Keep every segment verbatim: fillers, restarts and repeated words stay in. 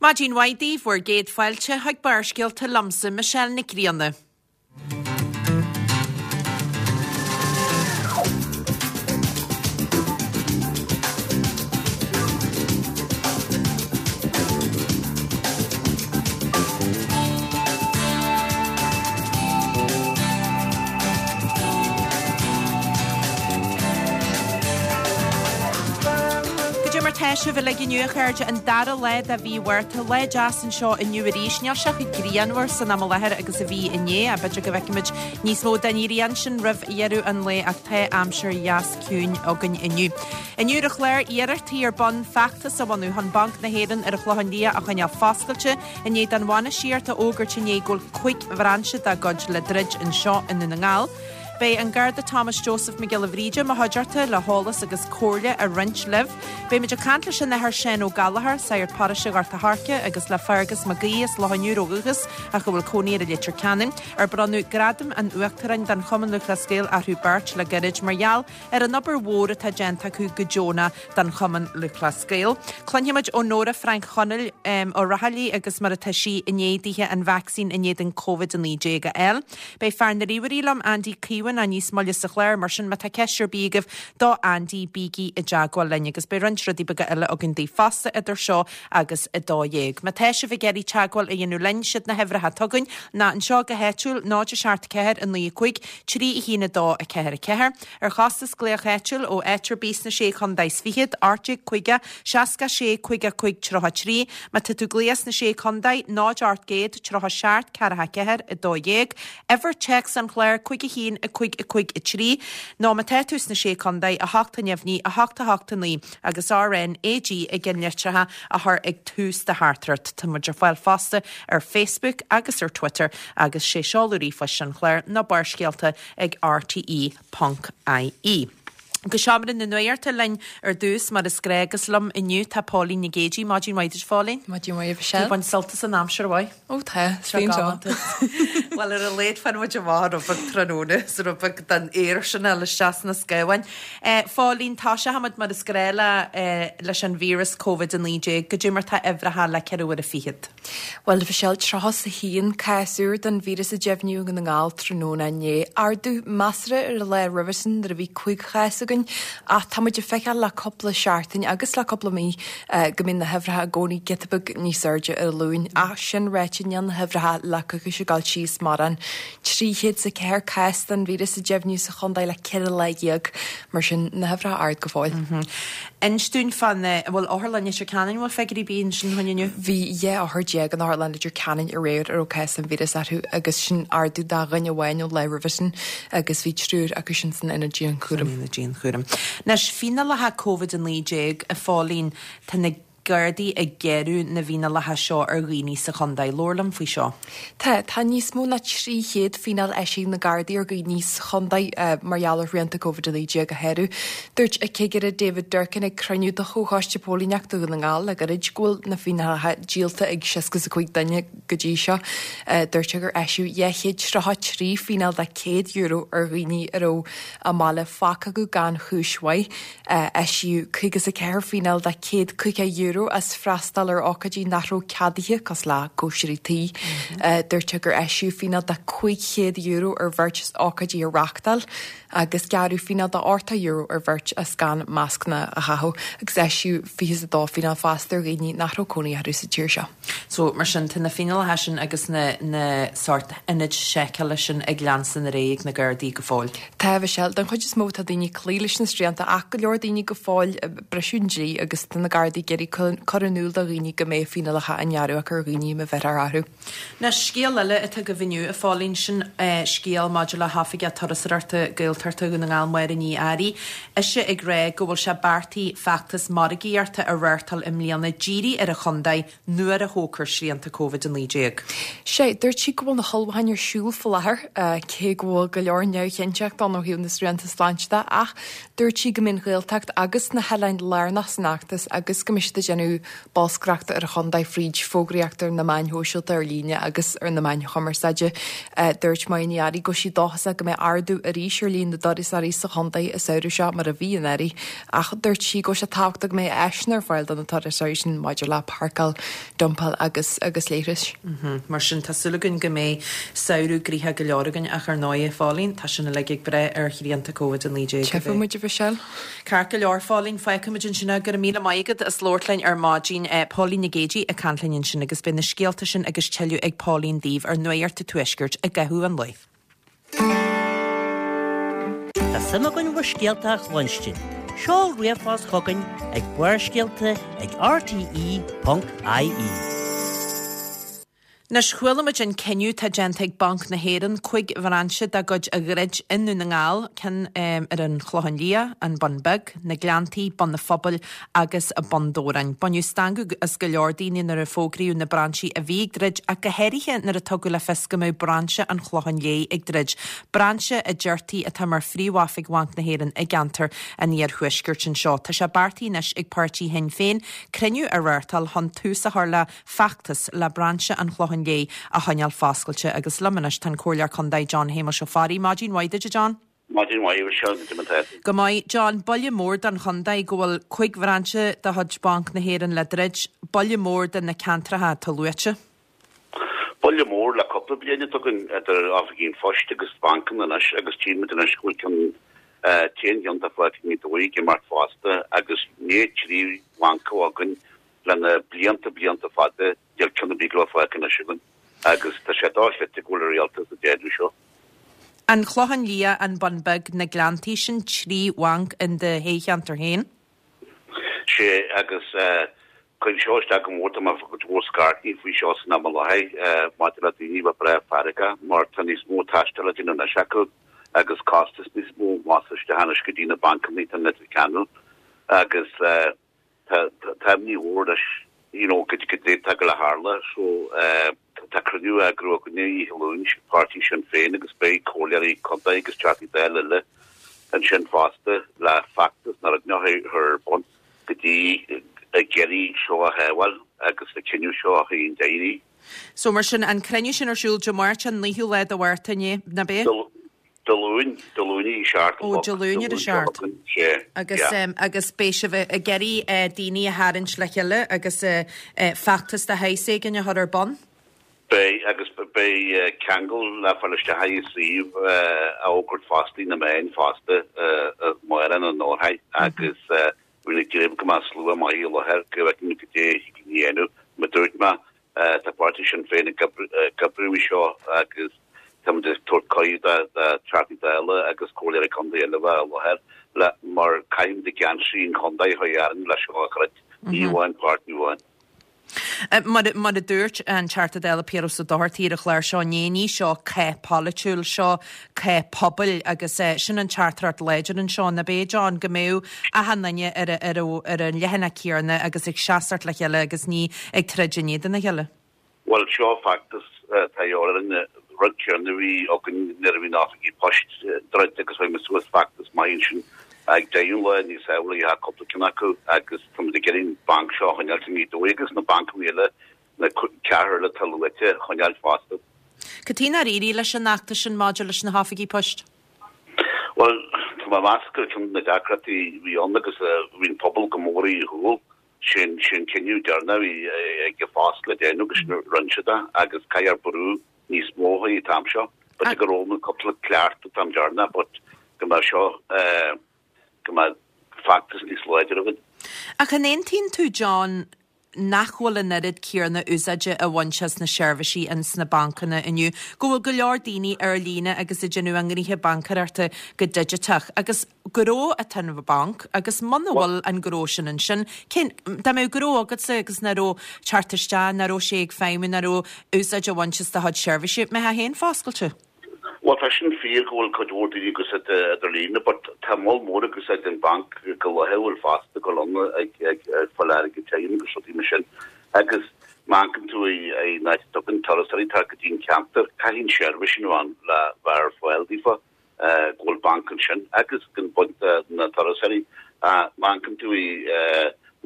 Maidin mhaith daoibh, bhur gcéad fáilte chuig Barrscéalta liomsa, Michelle Nic Grianna. Goidé mar tá sibh uilig inniu, a chairde, an dara lá de mhí Mhárta, lá deas anseo inniu arís. Níl sé chomh grianmhar san am i láthair agus a bhí inné, ach b'fhéidir go bhfeicfimid níos mó den ghrian sin roimh dheireadh an lae ach tá aimsir dheas ciúin againn inniu. Inniu ar an chlár, iarrachtaí ar bun feachtas a bhunú chun Banc na hÉireann ar an Chlochán Liath a choinneáil foscailte i ndiaidh don bhainistíocht a fhógairt inné go bhfuil cúig bhrainse dá gcuid le druid anseo i nDún na nGall. Beidh an Garda Thomas Joseph Mac Giolla Bhríde i mo chuideachta le heolas agus comhairle a roinnt libh. Beimid ag caint leis an Athair Seán Ó Gallchóir, Sagart Paróiste Ghort a' Choirce agus le Fergus Mac Aoidh as Loch an Iúir ó dhúchas ach a bhfuil cónaí air i Leitir Ceanainn, ar bronnadh Gradam an Uachtaráin don Chumann Lúthchleas Gael orthu beirt le gairid mar gheall ar an obair mhór atá déanta acu go deonach don Chumann Lúthchleas Gael. Cluinfimid ó Nóra Frainc Chonaill Ó Raghallaigh agus mar atá sí i ndiaidh dithe an vacsaín in éadan Covid a naoi déag a fháil. Beidh fear na ríomhairí liom, Andy Keown, níos moille sa chlár, mar sin má tá ceist ar bith agaibh do Andy, bígí i dteagmháil linn agus beidh roinnt rudaí beaga eile againn daoibh fosta idir seo agus a dó dhéag. Má tá sibh ag iarraidh teagmháil a dhéanamh linn, siad na huimhreacha atá againn ná anseo go háitiúil, náid a seacht ceathair a naoi a cúig, trí a haon a dó a ceathair a ceathair. Ar chostas glaoch áitiúil ó áit ar bith sna Sé Chontae is Fichead, ocht déag caoga, seasca sé, caoga cúig, tríocha trí. Má tá tú ag glaoch sna Sé Chontae, náid ocht gcéad, tríocha seacht, ceathracha ceathair, a dó dhéag. Uimhir téacs an chláir, cúig a haon, a cúig, a cúig, a trí. Nó má tá tú sna Sé Chontae, a hocht a neamhní, a hocht a hocht a naoi agus R N A G i gceannlitreacha a chur ag tús do theachtaireacht. Tá muid ar fáil fosta ar Facebook agus ar Twitter agus sé seoladh ríomhphoist an chláir ná Barrscéalta ag R T E ponc I E. Go seomra na nuachta linn ar dtús mar is gnách agus liom inniu tá Póilín Nic Géidigh. Maidin mhaith duit, Phóilín. Maidin mhaith, Michelle. Tú ag baint sult as an aimsir mhaith? Ó tá, is bíonn seo. Bhuel ar a laghad fanfaidh muid amach rud beag tráthnóna is rud beag den aer sin a fháil isteach sna scamháin. Phóilín, tosóidh muid mar is gnách le leis an víreas Covid a naoi déag. Goidé mar tá uimhreacha le ceithre uaire fichead. Bhuel, Michelle, tríocha is a haon cás úr den víreas a deimhníodh i nDún na nGall tráthnóna inné. Ardú measartha ar an lá roimhe sin nuair a bhí cúig chás againn, ach tá muid ag feiceáil le cúpla seachtain agus le cúpla mí go mbíonn na huimhreacha i gcónaí giota beag níos airde ar an Luan. Ach sin ráite, níl na huimhreacha le coicís ag dul síos mórán. Trí chéad is a ceathair cás den víreas a deimhníodh sa chontae le ceithre lá dhéag, mar sin na huimhreacha ard go fóill. Inis dúinn fán, an bhfuil Otharlann Leitir Ceanainn, an bhfuil figiúirí ar bith ansin chugainn inniu? Bhí dhá othar déag in Otharlann Leitir Ceanainn aréir a raibh cás den víreas orthu agus sin ardú de dhuine amháin ón lá roimhe sin agus bhí triúr acu sin san ionad dianchúraim. San ionad dianchúraim. Anois, fíneálacha Covid a naoi déag, a Phóilín, tá na Gardaí ag géarú na bhfíneálacha seo ar dhaoine sa chontae. Labhair liom faoi seo. Tá. Tá níos mó ná trí chéad fíneáil eisithe ag na Gardaí ar dhaoine sa chontae mar gheall ar shrianta Covid a naoi déag a shárú. Dúirt an Cigire David Durkin ag cruinniú de Chomhchoiste Póilíneachta Dhún na nGall le gairid go bhfuil na fíneálacha díolta ag seasca is a cúig duine go dtí seo. Dúirt sé gur eisíodh dhá chéad tríocha trí fíneáil de céad euro ar dhaoine a raibh a mbaile fágtha acu gan chúis mhaith. Eisíodh caoga is a ceathair fíneáil de céad caoga euro as freastal ar ócáidí nach raibh ceadaithe, cosúil le cóisirí tí. Dúirt sé gur eisíodh fíneáil de cúig chéad euro ar bheirt as ócáidí a reáchtáil agus gearradh fíneáil de ochtó euro ar bheirt as gan mascanna a chaitheamh agus eisíodh fiche is a dó fíneáil fosta ar dhaoine nach raibh cónaí orthu sa tír seo. So, mar sin, tá na fíneálacha sin agus na na sórt ionaid seiceála sin ag leanstan ar aghaidh ag na Gardaí go fóill. Tá, a Mhichelle. Den chuid is mó tá daoine ag cloí leis na srianta ach go leor daoine go fóill ag briseadh an dlí agus tá na Gardaí ag iarraidh cur in iúl do dhaoine go mbeidh fíneálacha á ngearradh acu ar dhaoine má bheirtear orthu. Anois, scéal eile atá agaibh inniu, a Phóilín, sin scéal maidir le hOifigeach Turasóireachta Gaeltachta Dhún na nGall, Máire Ní Fhearraigh. Ise ag rá go bhfuil sé beartaithe feachtas margaíochta a reáchtáil i mbliana dírithe ar an chontae nuair a thógfar srianta Covid a naoi déag. Sea, dúirt sí go bhfuil na hullmhúcháin ar siúl faoi láthair, cé go bhfuil go leor neamhchinnteacht ann ó thaobh na srianta sláinte de, ach dúirt sí go mbeidh an Ghaeltacht agus na hoileáin lárnach san fheachtas agus go mbeidh siad ag déanamh déanamh bolscaireachta ar an chontae fríd fógraíocht ar na meáin shóisialta ar líne agus ar na meáin chumarsáide. Dúirt Máire Ní Fhearraigh go bhfuil sí dóchasach go mbeidh ardú arís ar líon na dturasóirí sa chontae an samhradh seo mar a bhí anuraidh ach dúirt sí go bhfuil sé tábhachtach go mbeidh áiseanna ar fáil do na turasóirí sin maidir le páirceáil, dumpáil agus agus leithris. Mar sin tá súil againn go mbeidh samhradh gnoitheach go leor againn ach ar ndóigh, a Phóilín, tá sin uilig ag brath ar shrianta Covid a naoi déag. Tchífidh muid a Mhichelle. Ceart go leor, a Phóilín, fágfaimid ansin é. Go raibh míle maith agat as labhairt linn ar maidin. Póilín Nic Géidigh ag caint linn ansin agus beidh na scéalta sin agus tuilleadh ag Póilín daoibh ar Nuacht an Tuaiscirt i gcaitheamh an lae. Tá suim againn bhur scéalta a chluinstin. Seol ríomhphost chugainn ag Barrscéalta ag R T E ponc I E. Anois chuala muid an cinneadh atá déanta ag Banc na hÉireann cúig bhrainse dá gcuid a dhruid i nDún na nGall, ceann ar an Chlochán Liath, an Bun Beag, na Gleanntaí, Bun an Phobail agus Bun Dobhráin. Baineadh stangadh as go leor daoine nuair a fógraíodh na brainsí a bhí ag druid ach go háirithe nuair a tugadh le fios go mbeadh brainse an Chlocháin Léith ag druid, brainse a deirtí atá mar phríomhoifig Bhanc na hÉireann i gceantar an iarthuaiscirt anseo. Tá sé beartaithe anois ag páirtí Shinn Féin cruinniú a reáchtáil chun tús a chur le feachtas le brainse an Chlocháin Léith a choinneáil foscailte agus liom anois tá an Comhairleoir Contae John Shéamuis Ó Fearraigh. Maidin mhaith duit, John. Maidin mhaith seo go Go maith, John, buille mór don chontae go bhfuil cúig bhrainse de chuid Banc na hÉireann le druid, buille mór do na ceantracha atá luaite. Buille mór le cúpla bliain tugann idir oifigí an phoist agus bancanna anois agus tchímid anois go bhfuil ceann t-aon cheann atá fágtha i nGaoth Dobhair ag imeacht fosta agus ní trí bhanc againn lena blianta blianta fada níl ceann ar bith go fágtha anois againn agus tá sé dochreidte go bhfuil an rialtas ag déanamh seo. An Clochán Liath, an Bun Beag, na Gleanntaí sin trí bhanc in do thoghcheantar féin? Sé agus chuir seo isteach go mór tá go mór scairtí faoi seo san am i láthair maidir le daoine bheith breá feargach mar tá níos mó taistil le déanamh anois acu agus costas níos mó más isteach anois go dtí na bancanna tá Leitir Ceanainn agus tá ní mhór leis you know go go dté go le tharla so tá cruinniú eagraithe againne oíche Luain páirtí Sinn Féin agus beidh comhairleoirí contae agus teachtaí Dála eile ansin fosta le feachtas nar ar bun go dtí ag iarraidh seo a shábháil agus na cinneadh seo a chaon déirí. So mar sin an cruinniú sin ar siúl Dé Máirt an naoú lá de Mhárta nach ea? Dé Luain Dé Luain a seacht. Ó Dé Luain ar a seacht. Agus um, agus beidh sibh ag iarraidh uh, daoine a tharraingt le chéile agus uh, uh, feachtas de shaghas éigin a chur ar bun? Beidh agus beidh ceangal le fáil isteach i suíomh a fhógairt fosta na meáin fosta mar an nórthaid agus bhí grib go maith slua maith i láthair go bhfeicfidh muid goidé a dhéanamh mar dúirt mé tá páirtí Sinn Féin ag oibriú seo agus tá tabhairt cuireadh do Teachtaí Dála agus comhairleoirí contae eile bheith i láthair le mar caithfimid geansaí an chontae a dhearan leis seo a chruit ní amháin páirtí amháin. Mar mar a dúirt an Teachta Dála Piaras Ó Dochartaigh ar an chlár seo ní ní seo cath polaitiúil seo cath pobail agus uh, sin an teachtaireacht láidir anseo nach ea John go mbeadh achan duine ar ar ar an leathanach céanna agus ag seasamh le chéile agus ní ag troid in éadan a chéile. Well seo feachtas tá an rud céanna bhí againn nuair a bhí na hoifigí poist druidte agus bhí suas feachtas maith sin ag déan le níos eile cúpla ceann acu agus tá ag iarraidh banc seo choinneáil i nGaoth Dobhair agus na bancanna eile na ceathair le luaite choinneáil fosta. Cad é ar éirigh leis an fheachtas sin maidir leis na hoifigí poist? Well tá má meas gur ceann na deacrachtaí bhí ann agus bhí an pobal go mór i gcúl sin sin cinneadh deireanach bhí ag fás le déanamh agus rinne siad agus caithfear brú níos mó an t-am seo, but go raibh na cúpla ceart tam deireanach, but go mbeidh seo go mbeidh feachtas níos láidir againn. Ach an aontaíonn tú John nach bhfuil an oiread céanna úsáide a bhaint as na seirbhísí in sna bancanna inniu, go bhfuil go leor daoine ar líne agus ag déanamh a ngnoithe baincéireachta go digiteach, agus gnó atá an banc agus muna bhfuil an gnó sin ansin, cén dá mbeadh gnó agatsa agus nach raibh teacht isteach, nach raibh sé ag feidhmiú, nach raibh úsáid a bhaint as do chuid seirbhísí, mbeifeá féin foscailte. Well tá sin fíor go bhfuil cuid mhór daoine ag úsáid ar líne, but tá moll mór ag úsáid an banc go laethúil fosta go lonna ag ag fáil airgead tirim agus rudaí mar sin. Agus má amharcann tú i n-áit a dtugann turasóirí tar go dtí an ceantar, caithfidh an seirbhís sin ann le bheith ar fáil daofa go bhfuil banc ansin agus gan baint na turasóirí má amharcann tú i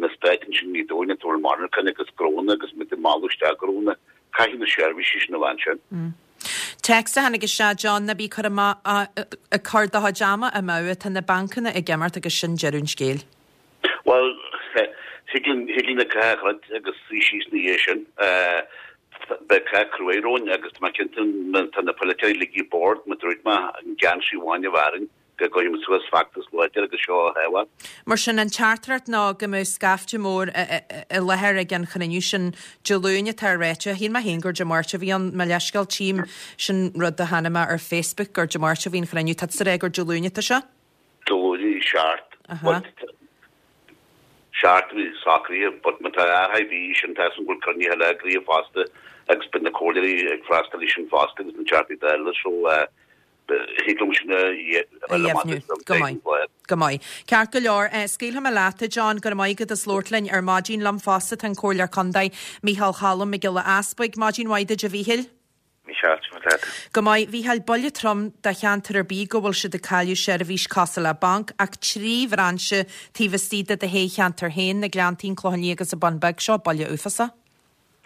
Na Stáit ansin i nGaoth Dobhair atá bhfuil monarchan agus gnónna agus muid ag mealladh isteach gnónna, caithfidh na seirbhísí sin a bheith ansin. Téacs a tháinig isteach, John, ná bí ag cur amach ag cur do chuid ama amú, tá na bancanna ag imeacht agus sin deireadh an scéil. Bhuel, thig linn thig linn an cath a dhruid agus suí síos ina dhiaidh sin. Beidh cath cruaidh romhainn agus tá mé cinnte má tá na polaiteoirí ligthe bord, mar a dúirt mé, an geansaí amháin a bheidh orainn. go gcuirfidh muid suas feachtas láidir agus seo a thaobhadh. Mar sin, an teachtaireacht ná go mbeadh scaifte mór i láthair ag an chruinniú sin Dé Luain atá ráite. Shíl mé féin gur Dé Máirt a bhí ann, mo leithscéal, tchím sin rud a chonaic mé ar Facebook gur Dé Máirt a bhí an chruinniú. Tá tusa ag rá gur Dé Luain atá sé? Dé Luain seacht. Seacht a bhí socraithe but má tá athrú ar bith sin tá a fhios agam go bhfuil cruinnithe eile eagraithe fosta agus beidh na comhairleoirí ag freastal air sin fosta agus na Teachtaí Dála so Thig liom sin a dheimhniú. Go maith. Go maith. Ceart go leor. Scaoilfidh mé leat, a John. Go raibh maith agat as labhairt linn ar maidin. Liom fosta tá an Comhairleoir Contae, Mícheál Cholm Mac Giolla Easbuig. Maidin mhaith duit, a Mhíchíl. Mícheál, cad é leat? Go maith. Mhíchíl, buille trom do cheantar ar bith go bhfuil siad ag cailleadh seirbhís cosúil le banc ach trí bhrainse taobh istigh de do thoghcheantar féin, na Gleanntaí, an Clochán Liath agus an Bun Beag. Seo buille uafásach.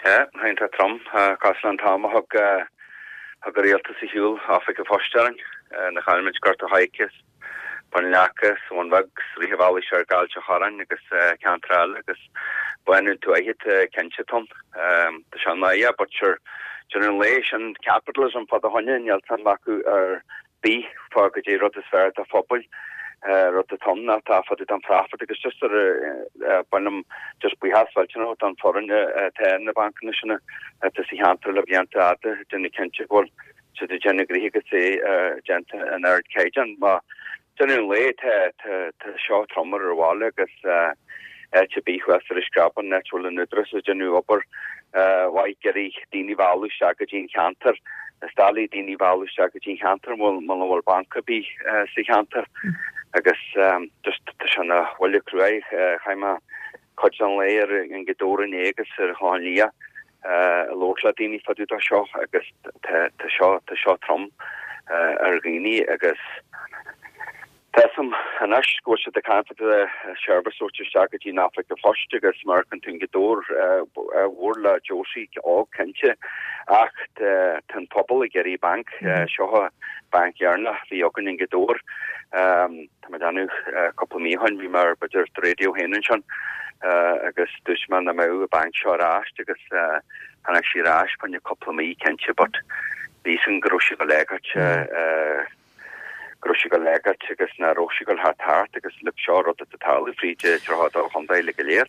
Tá, iontach trom, cosúil le an t-am a thug thug an rialtas ar shiúl Oifig an Phoist orainn, nuair a chaill muid Gort a' Choirce, Bun Leaca, sa Bhun Bheag, sa Rith an Bhealaigh soir go Ailt an Chorráin agus ceantar eile agus bánú tuaithe tá cinnte trom. Tá sé náireach but sure, deireadh an lae sin capitalism fá do choinne, níl suim acu ar bith fá goidé rud is fearr do phobail, rud atá ann ná tá fá dtaobh don profit agus just ar ba mhaith liom just buíochas mhillteanach don foireann atá in na bancanna sin atá sa cheantar le blianta fhada ag déanamh cinnte go bhfuil siad ag déanamh gnoithe agus é déanta in ardchaighdeán. Má deireadh an lae tá tá seo trom ar an bhaile agus áit ar bith thuas ar an Screabán, áit a bhfuil an Údarás ag déanamh obair mhaith ag iarraidh daoine a mhealladh isteach go dtí an cheantar. Is doiligh daoine a mhealladh isteach go dtí an cheantar muna bhfuil banc ar bith sa cheantar agus just tá sé ina bhuille cruaidh. Chaith mé cuid den lae ar an Ghaoth Dobhair inné agus ar an Chlochán Liath ag labhairt le daoine fá dtaobh de seo agus tá seo tá seo trom ar dhaoine agus Tá a fhios agam anois go bhfuil siad ag caint fá seirbhís a thabhairt isteach go dtí an Oifig an Phoist agus mar a fheiceann tú i nGaoth Dobhair mhór le Josie óg cinnte ach tá an pobal ag iarraidh banc. Seo an banc dheireanach a bhí againn i nGaoth Dobhair. Tá mé ag déanamh cúpla mí ó shin bhí mé ar b'fhéidir do radio féin ansin agus dúirt mé nach mbeadh an banc seo ar ais agus tháinig sí ar ais fá choinne cúpla mí cinnte but bhí a fhios agam go raibh sí go léigeart. go raibh sí ag dul a éagairt agus nach raibh sí ag dul thar tart agus look seo rud atá ag tarlú fríd tríocha dó chontae uilig go léir.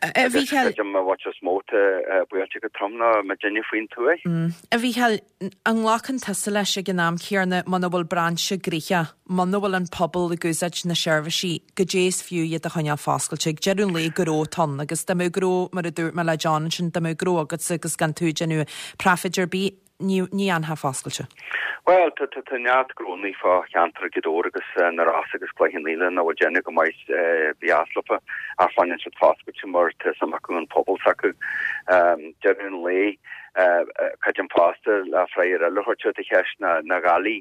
A Agus Mhícheáil. creidim an bhuait is mó atá buailte go trom ná muidinne faoin tuaith. A Mhícheáil, an nglacann tusa leis ag an am céanna muna bhfuil brainse gnoitheach, muna bhfuil an pobal ag úsáid na seirbhísí, goidé is fiú iad a choinneáil foscailte? Ag deireadh an lae gnó atá ann agus dá mbeadh gnó, mar a dúirt mé le John ansin, dá mbeadh gnó agatsa agus gan tú ag déanamh profit ar bith, Ní fhanfá foscailte. Bhuel, tá tá neart gnónnaí fá cheantar Ghaoth Dobhair agus na Rosa agus Cloich Cheann Fhaola nach bhfuil déanamh go maith bhí as leofa ach fanann siad foscailte mar tá suim acu an pobal s'acu. Deireadh an lae, creidim fosta le freagra eile a thabhairt ar do cheist ná na dhálaí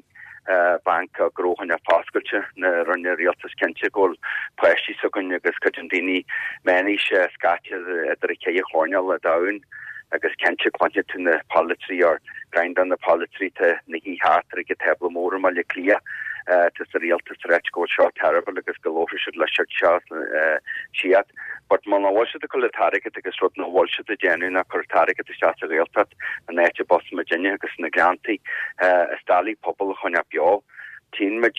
banc gnó a choinneáil foscailte nuair a rinne rialtas cinnte go bhfuil páistí s'againn agus creidim daoine meánaoise scaite idir an ceithre choirnéal den domhan. Agus cinnte cluinfidh tú na polaiteoirí or roinnt de na polaiteoirí atá ina shuí thart ar ag an tábla mór i mBaile Átha Cliath atá sa rialtas ag ráit go bhfuil seo terrible agus go labharfaidh siad le siad seo siad. But muna bhfuil siad ag cur an t-airgead agus rud nach bhfuil siad ag déanamh ná cur an t-airgead isteach sa Ghaeltacht an áit a b'as muidinne agus sna Gleanntaí is doiligh pobal a choinneáil beo. Tchíonn muid,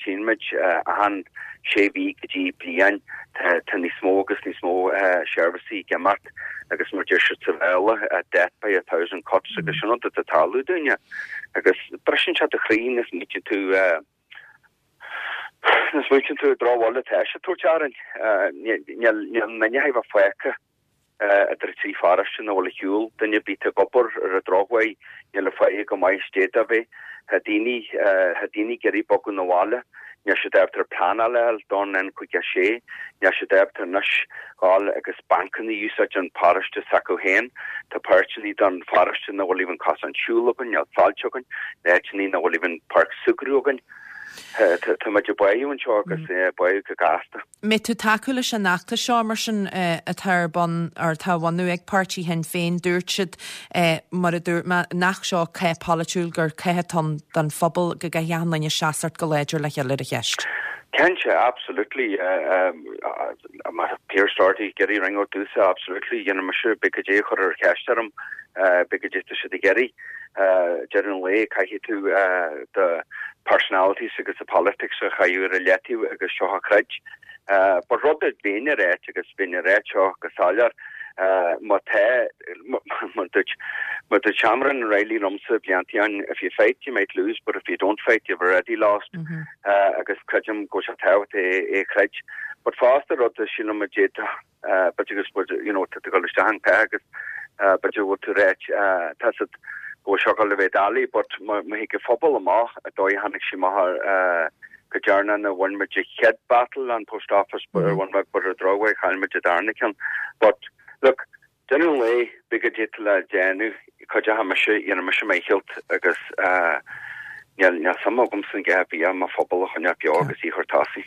tchíonn muid achan sé mhí go dtí bliain tá, tá níos mó agus níos mó seirbhísí ag imeacht agus mar deir siad sa Bhéarla, death by a thousand cuts agus sin rud atá ag tarlú dúinne. Agus briseann sé do chroí nuair a smaoitíonn tú, nuair a smaoitíonn tú an drochbhuille atá sé ag tabhairt orainn. Níl, níl aon duine a bheith fágtha. idir trí pharóiste nach bhfuil ar shiúl, duine ar bith atá ag obair ar an drochuair, níl a pháighe go maith is d'fhéadfadh a bheith. Tá daoine, tá daoine ag iarraidh bogadh 'na bhaile, níl siad ábalta ar pleanáil a fháil don N caoga a sé, níl siad ábalta anois dhul agus bancanna a úsáid an paróiste s'acu féin. Tá páirteanna den pharóiste nach bhfuil even cosán siúil againn, níl soilse againn, áiteanna nach bhfuil even páirc súgradh againn. Tá muid ag báú anseo agus báú go gasta. Mbeidh tú tacú leis an fheachtas seo mar sin atá ar bun or atá á bhunú ag páirtí Shinn Féin. Dúirt siad, mar a dúirt mé, nach seo cath polaitiúil, gur cath atá ann don phobal, go gcaithfidh achan duine seasamh go láidir le chéile ar an cheist. Cinnte, absolutely. Mar Pearse Doherty ag iarraidh ringeadh domhsa, absolutely. Dhéanfaidh mise big goidé a chur ar cheist orm, big goidé tá siad ag iarraidh. Deireadh an lae, caithfidh tú do personalities agus the politics a chaitheamh ar a leataobh agus seo a chreid. But rud a bheinn a ráit agus bheinn a ráit seo go soiléir, má tá, mar dúirt, mar dúirt Shamron Reilly liomsa blianta ó shin, if you fight you might lose, but if you don't fight you've already lost. Agus creidim go bhfuil sé tábhachtach é a chreid. But fosta rud a sílim a d'fhéadfadh, b'fhéidir agus you know, tá tú ag dul isteach an cath agus b'fhéidir go bhfuil tú ag ráit, tá siad, go bhfuil seo ag dul a bheith doiligh but má thig an phobal amach an dóigh a tháinig sí amach ar go dearna na bhain muid an chéad battle an post office but ar bhain muid but ar drochuair chaill muid an darna ceann but look deireadh an lae beidh go dtí le déanamh cuideoidh mise dhéanfaidh mise mo dhícheall agus Níl níl suim agamsa in a dhath ar bith ach mo phobal a choinneáil beo agus í a chur tosaigh.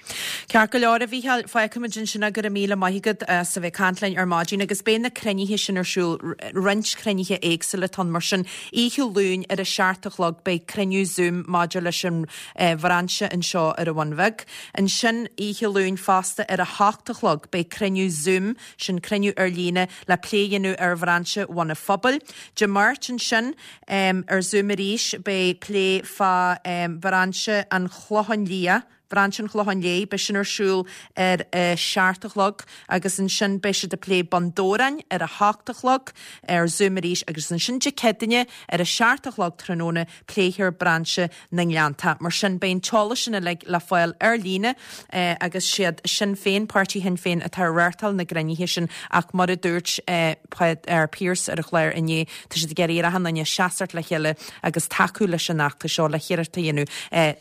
Ceart go leor, a Mhícheáil, fágfaimid ansin é, go raibh míle maith agat as a bheith ag caint linn ar maidin agus beidh na cruinnithe sin ar siúl, roinnt cruinnithe éagsúla atá ann mar sin. Oíche Luain ar a seacht a chlog beidh cruinniú Zoom maidir leis an bhrainse anseo ar an Bhun Bheag. Ansin oíche Luain fosta ar a hocht a chlog beidh cruinniú Zoom, sin cruinniú ar líne le plé a dhéanamh ar bhrainse Bhun an Phobail. Dé Máirt ansin, Ar Zoom arís, beidh plé fá Bhrainse an Chlocháin Liath, Brainse an Chlocháin Léith, beidh sin ar siúl ar a seacht a chlog agus ansin beidh siad ag plé Bun Dobhráin ar a hocht a chlog ar Zoom arís agus ansin Dé Céadaoine ar a seacht a chlog tráthnóna pléifear Brainse na nGleanntach. Mar sin beidh an t-eolas sin uilig le fáil ar líne agus siad Sinn Féin, Páirtí Shinn Féin atá ag reáchtáil na gcruinnithe sin ach mar a dúirt Pearse ar an chlár inné, tá siad ag iarraidh ar achan duine seasamh le chéile agus tacú leis an fheachtas seo le hiarracht a dhéanamh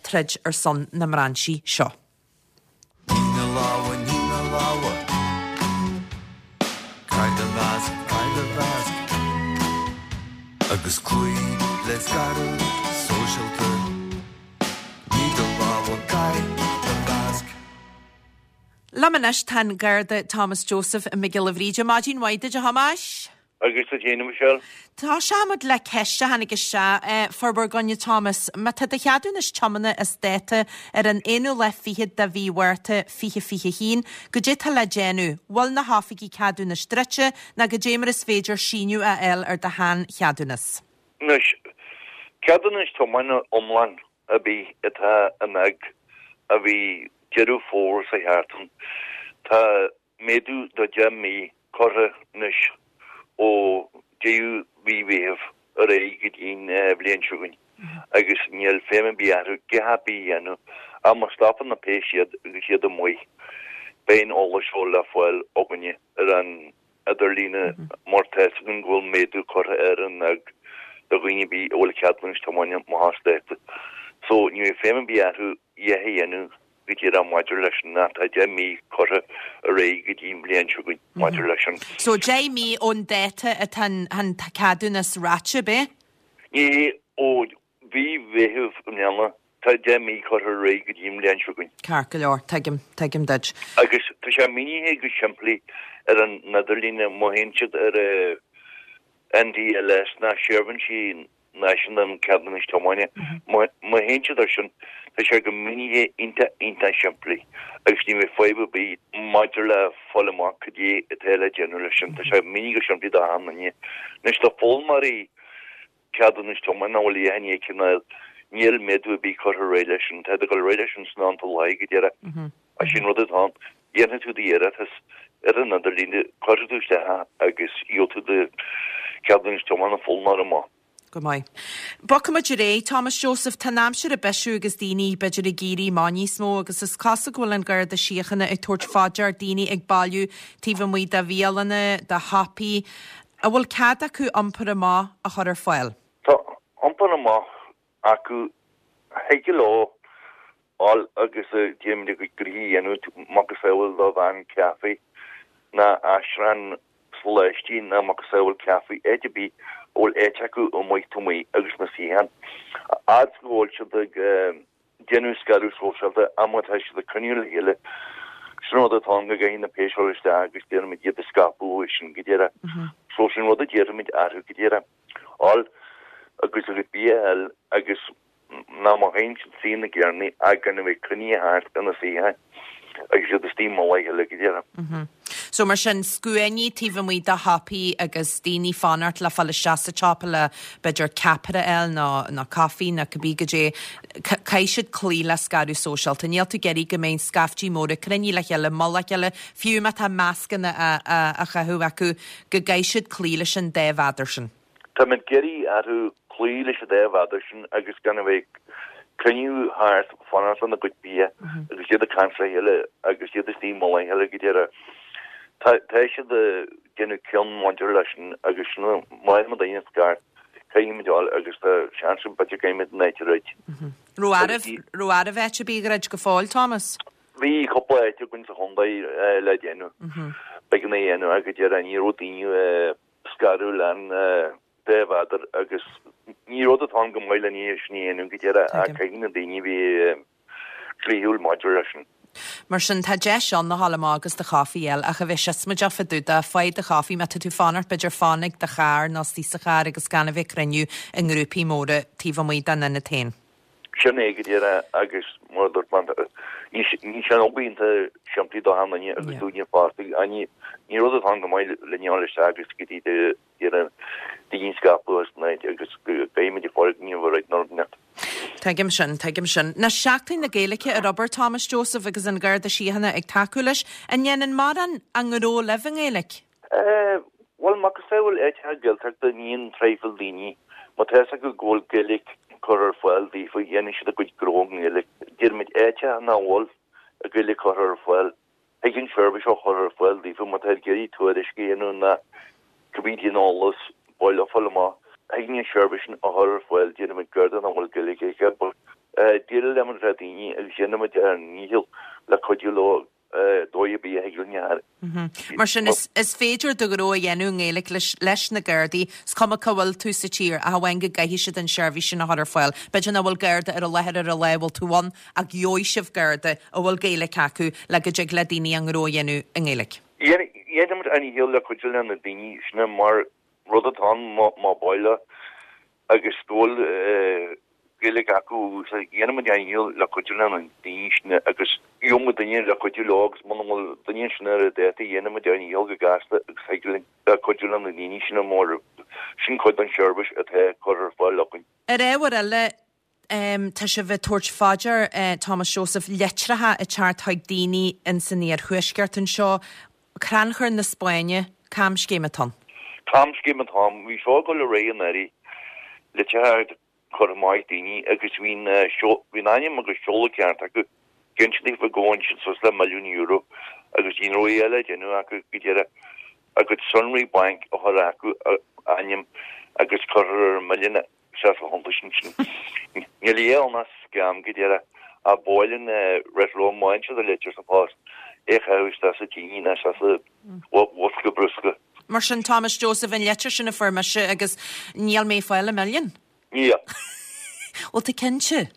troid ar son na mbrainsí seo. Nigh na lámha, nigh na lámha. Caith do mhasc, caith do mhasc. Agus cloí le scaradh sóisialta. Nigh do lámha, caith do mhasc. Liom anois tá an Garda Thomas Joseph Mac Giolla Bhríde. Maidin mhaith duit, a Thomáis. Agus duit féin, a Michelle. Tosóimid le ceist a tháinig isteach fuair bhur gcoinne Thomas. Má tá do cheadúnas tiomána as dáta ar an aonú lá fichead de mhí Mhárta fiche fiche haon, goidé tá le déanamh? Bhfuil na hoifigí ceadúnais druidte nó goidé mar is féidir síneadh a fháil ar do shean-cheadúnas? Anois, ceadúnas tiomána iomlán ar bith atá in éag a bhí Deireadh Fómhair seo thart ann, tá méadú de deich mí curtha anois ó deireadh mhí Mheithimh ar aghaidh go dtí'n bhliain seo chugainn agus níl feidhm ar bith orthu a dhath ar bith a dhéanamh ach má stopann na péis iad agus iad amuigh beidh an eolas seo le fáil againne ar an idirlíne mar tá fhios againn go bhfuil méadú curtha ar an éag do dhaoine ar bith a bhfuil ceadúnas tiomána amach as dáta so ní bheidh feidhm ar bith orthu a dhath a dhéanamh go díreach maidir leis sin ach tá deich mí curtha ar aghaidh go dtí an bhliain seo chugainn maidir leis sin. So deich mí ón dáta atá an ceadúnas ráite, ab é? Ní, ó mhí Mheithimh i mbliana tá deich mí curtha ar aghaidh go dtí an bhliain seo chugainn. Ceart go leor, tuigim, tuigim duit. Agus tá sé mínithe go simplí ar an idirlíne, má théann siad ar NDLS ná Seirbhísí Náisiúnta um Cheadúnais Tiomána. Má théann siad air sin, tá sé go mínithe iontach, iontach simplí agus ní bheidh fadhb ar bith maidir le fáil amach cad é atá le déanamh leis sin. Tá sé mínithe go simplí do achan duine. Anois, do foghlaimeoirí ceadúnais tiomána nach bhfuil a dhath i ndiaidh cineál, níl méadú ar bith curtha ar aghaidh leis sin. Tá ag dul ar aghaidh leis sin san am atá láí go deireadh. Ach sin rud atá ann. Dhéanfaidh tú d'iarratas ar an idirlíon, cuirfidh tú isteach é agus gheobhaidh tú do cheadúnas tiomána foghlaimeora amach. Go maith. Bogfaimid ar aghaidh, Thomas Joseph, tá an aimsir ag bisiú agus daoine, b'fhéidir, ag éirí amach níos mó agus is cosúil go bhfuil an Garda Síochána ag tabhairt fá dear daoine ag bailiú taobh amuigh de bhialanna, de shiopaí. An bhfuil cead acu iompar amach a chur ar fáil? Tá iompar amach acu. Thig leo dul agus déanamh a gcuid gnoithí a dhéanamh, macasamhail do veain caife ná aistriúchán soláistí ná macasamhail caife, áit ar bith a bhfuil áit acu amuigh taobh amuigh agus na suíocháin. A fhad is go bhfuil siad ag déanamh scaradh sóisialta ach má tá siad ag cruinniú le chéile, sin rud atá ann go gcaithfidh na péis dul isteach agus déanfaimid iad a scaipeadh sin go deireadh. So sin rud a déarfaimid orthu go deireadh. Ól agus a gcuid bia a fháil agus ná má théann siad suí ina gcarrannaí ach gan a bheith cruinnithe thart ina suíocháin agus iad istigh i mullach a chéile go deireadh. So mar sin, scuainí taobh amuigh de shiopaí agus daoine fanacht le fáil isteach sa tsiopa le b'fhéidir ceapaire a fháil nó nó caife nó cibé goidé, caithfidh siad cloí le scaradh sóisialta. Níl tú ag iarraidh go mbeidh scaiftí móra cruinnithe le chéile, mullach a chéile, fiú má tá mascanna á chaitheamh acu, go gcaithfidh siad cloí leis an dá mhéadar sin. Táimid ag iarraidh orthu cloí leis an dá mhéadar sin agus gan a bheith ag cruinniú thart, fanacht lena gcuid bia agus iad ag caint le chéile agus iad istigh i mullach a chéile go deireadh. Tá tá siad ag déanamh cion maidir leis sin agus sin má fhaigheann daoine scairt, caithfimid dul agus tá seans go b'fhéidir go gcaithfimid an áit a dhruid. Raibh oraibh raibh oraibh áit ar bith a dhruid go fóill, Thomas? Bhí cúpla áit againn sa chontae le déanamh. B'éigean é a dhéanamh ach go deireadh ní raibh daoine scaradh lean dá mhéadar agus ní rud atá ann go maith le ní sin a dhéanamh go deireadh ach caithfidh na daoine bheith dlíthiúil maidir leis sin. Mar sin, tá deis ann a ghabháil amach agus do chaife a fháil ach a bheith siosmaideach fá dtaobh de, faigh do chaife má tá tú fanacht, b'fhéidir fan ag do charr nó istigh sa charr agus gan a bheith ag cruinniú i ngrúpaí móra taobh amuigh den ionad féin. Sin é go díreach agus mar a dúirt mé, ní ní sin obair iontach simplí do achan duine agus dúinne fosta. Ní ní rud atá ann go maith le n-dul isteach agus go dtí do iarraidh daoine a scaipeadh as an áit agus go gcaithfimid foirgneamh a dhruid nó rud inteacht. Tuigim sin, tuigim sin. Ná Seachtain na Gaeilge ar obair Thomas Joseph agus an Garda Síochána ag tacú leis, an ndéanann mórán a ngnó libh i nGaeilge? Eh, bhuel, macasamhail áiteacha Gaeltachta ní an traidhfil daoine, má tá fhios acu go bhfuil Gaeilge curtha ar fáil daofa, dhéanfaidh siad a gcuid gnó i nGaeilge. Déarfaimid áiteacha nach bhfuil a Gaeilge curtha ar fáil, thig an seirbhís a chur ar fáil daofa má tá ag iarraidh tuairisc a dhéanamh ná cibé cén eolas baile a fáil amach, thig an seirbhís sin a chur ar fáil, déarfaimid Garda nach bhfuil Gaeilge aige, but eh, déileálaimid le daoine agus déanaimid ár ndícheall le cuidiú leo dóigh ar bith a thig linn a Mar sin, is, is féidir do ghnó a dhéanamh i nGaeilge leis, leis na Gardaí, is cuma cá bhfuil tú sa tír, ach amháin go gcaithfidh siad an seirbhís sin a chur ar fáil. B'fhéidir nach bhfuil Garda ar an láthair ar an lá a bhfuil tú ann, ach gheobhaidh sibh Garda a bhfuil Gaeilge acu le go dtig le daoine a ngnó a dhéanamh i nGaeilge. Dhéanaimid ár ndícheall le cuidiú le na daoine sin mar rud atá ann má b'áil agus go bhfuil Gaeilge acu so dhéanaimid ár ndícheall le cuidiú le na daoine sin agus gheobhaimid duine le cuidiú leo agus muna bhfuil duine sin ar an dáta dhéanaimid ár ndícheall go gasta agus thig linn le cuidiú le na daoine sin mar sin cuid den seirbhís atá curtha ar fáil againn. Ar ábhar eile, tá sibh ag tabhairt fá dear, Thomas Joseph, litreacha ag teacht chuig daoine ins an iarthuaisceart anseo, Crannchur na Spáinne, camscéim atá ann. Camscéim atá ann. Bhí seo ag dul ar aghaidh anuraidh, litreacha curtha amach ag daoine agus bhí an bhí an ainm agus seoladh ceart acu, cinnte daofa go bhain siad suas le milliún euro agus ní raibh a dhath eile le déanamh acu go deireadh a gcuid sonraí bainc a chur acu, a ainm agus cuirfear an milliún isteach sa chuntas ansin. Níl a dhath ann ach scam go deireadh ach ba mhaith linn rith leo má fhaigheann siad an litir sa phost é a chaitheamh isteach sa tine nó isteach sa bhosca bruscair. Mar sin Thomas Joseph an litir sin a fuair mise agus níl mé ag fáil an milliún. Níl. Bhfuil tú cinnte?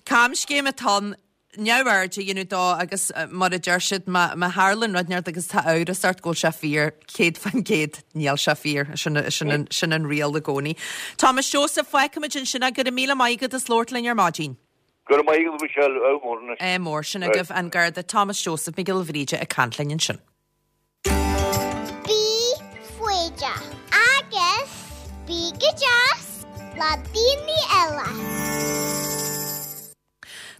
Camscéim atá ann, neamhaird a dhéanamh dó agus mar a deir siad, má má tharlaíonn rud inteacht agus tá amhras ort go bhfuil sé fíor, céad faoin gcéad, níl sé fíor. Sin sin an sin an riail i gcónaí. Thomas Joseph, fágfaimid ansin é, go raibh míle maith agat as labhairt linn ar maidin. Go raibh maith agat, Michelle, ádh mór anois. Ádh mór, sin agaibh an Garda Thomas Joseph Mac Giolla Bhríde ag caint linn ansin. Bí foighdeach agus bí go deas le daoine eile.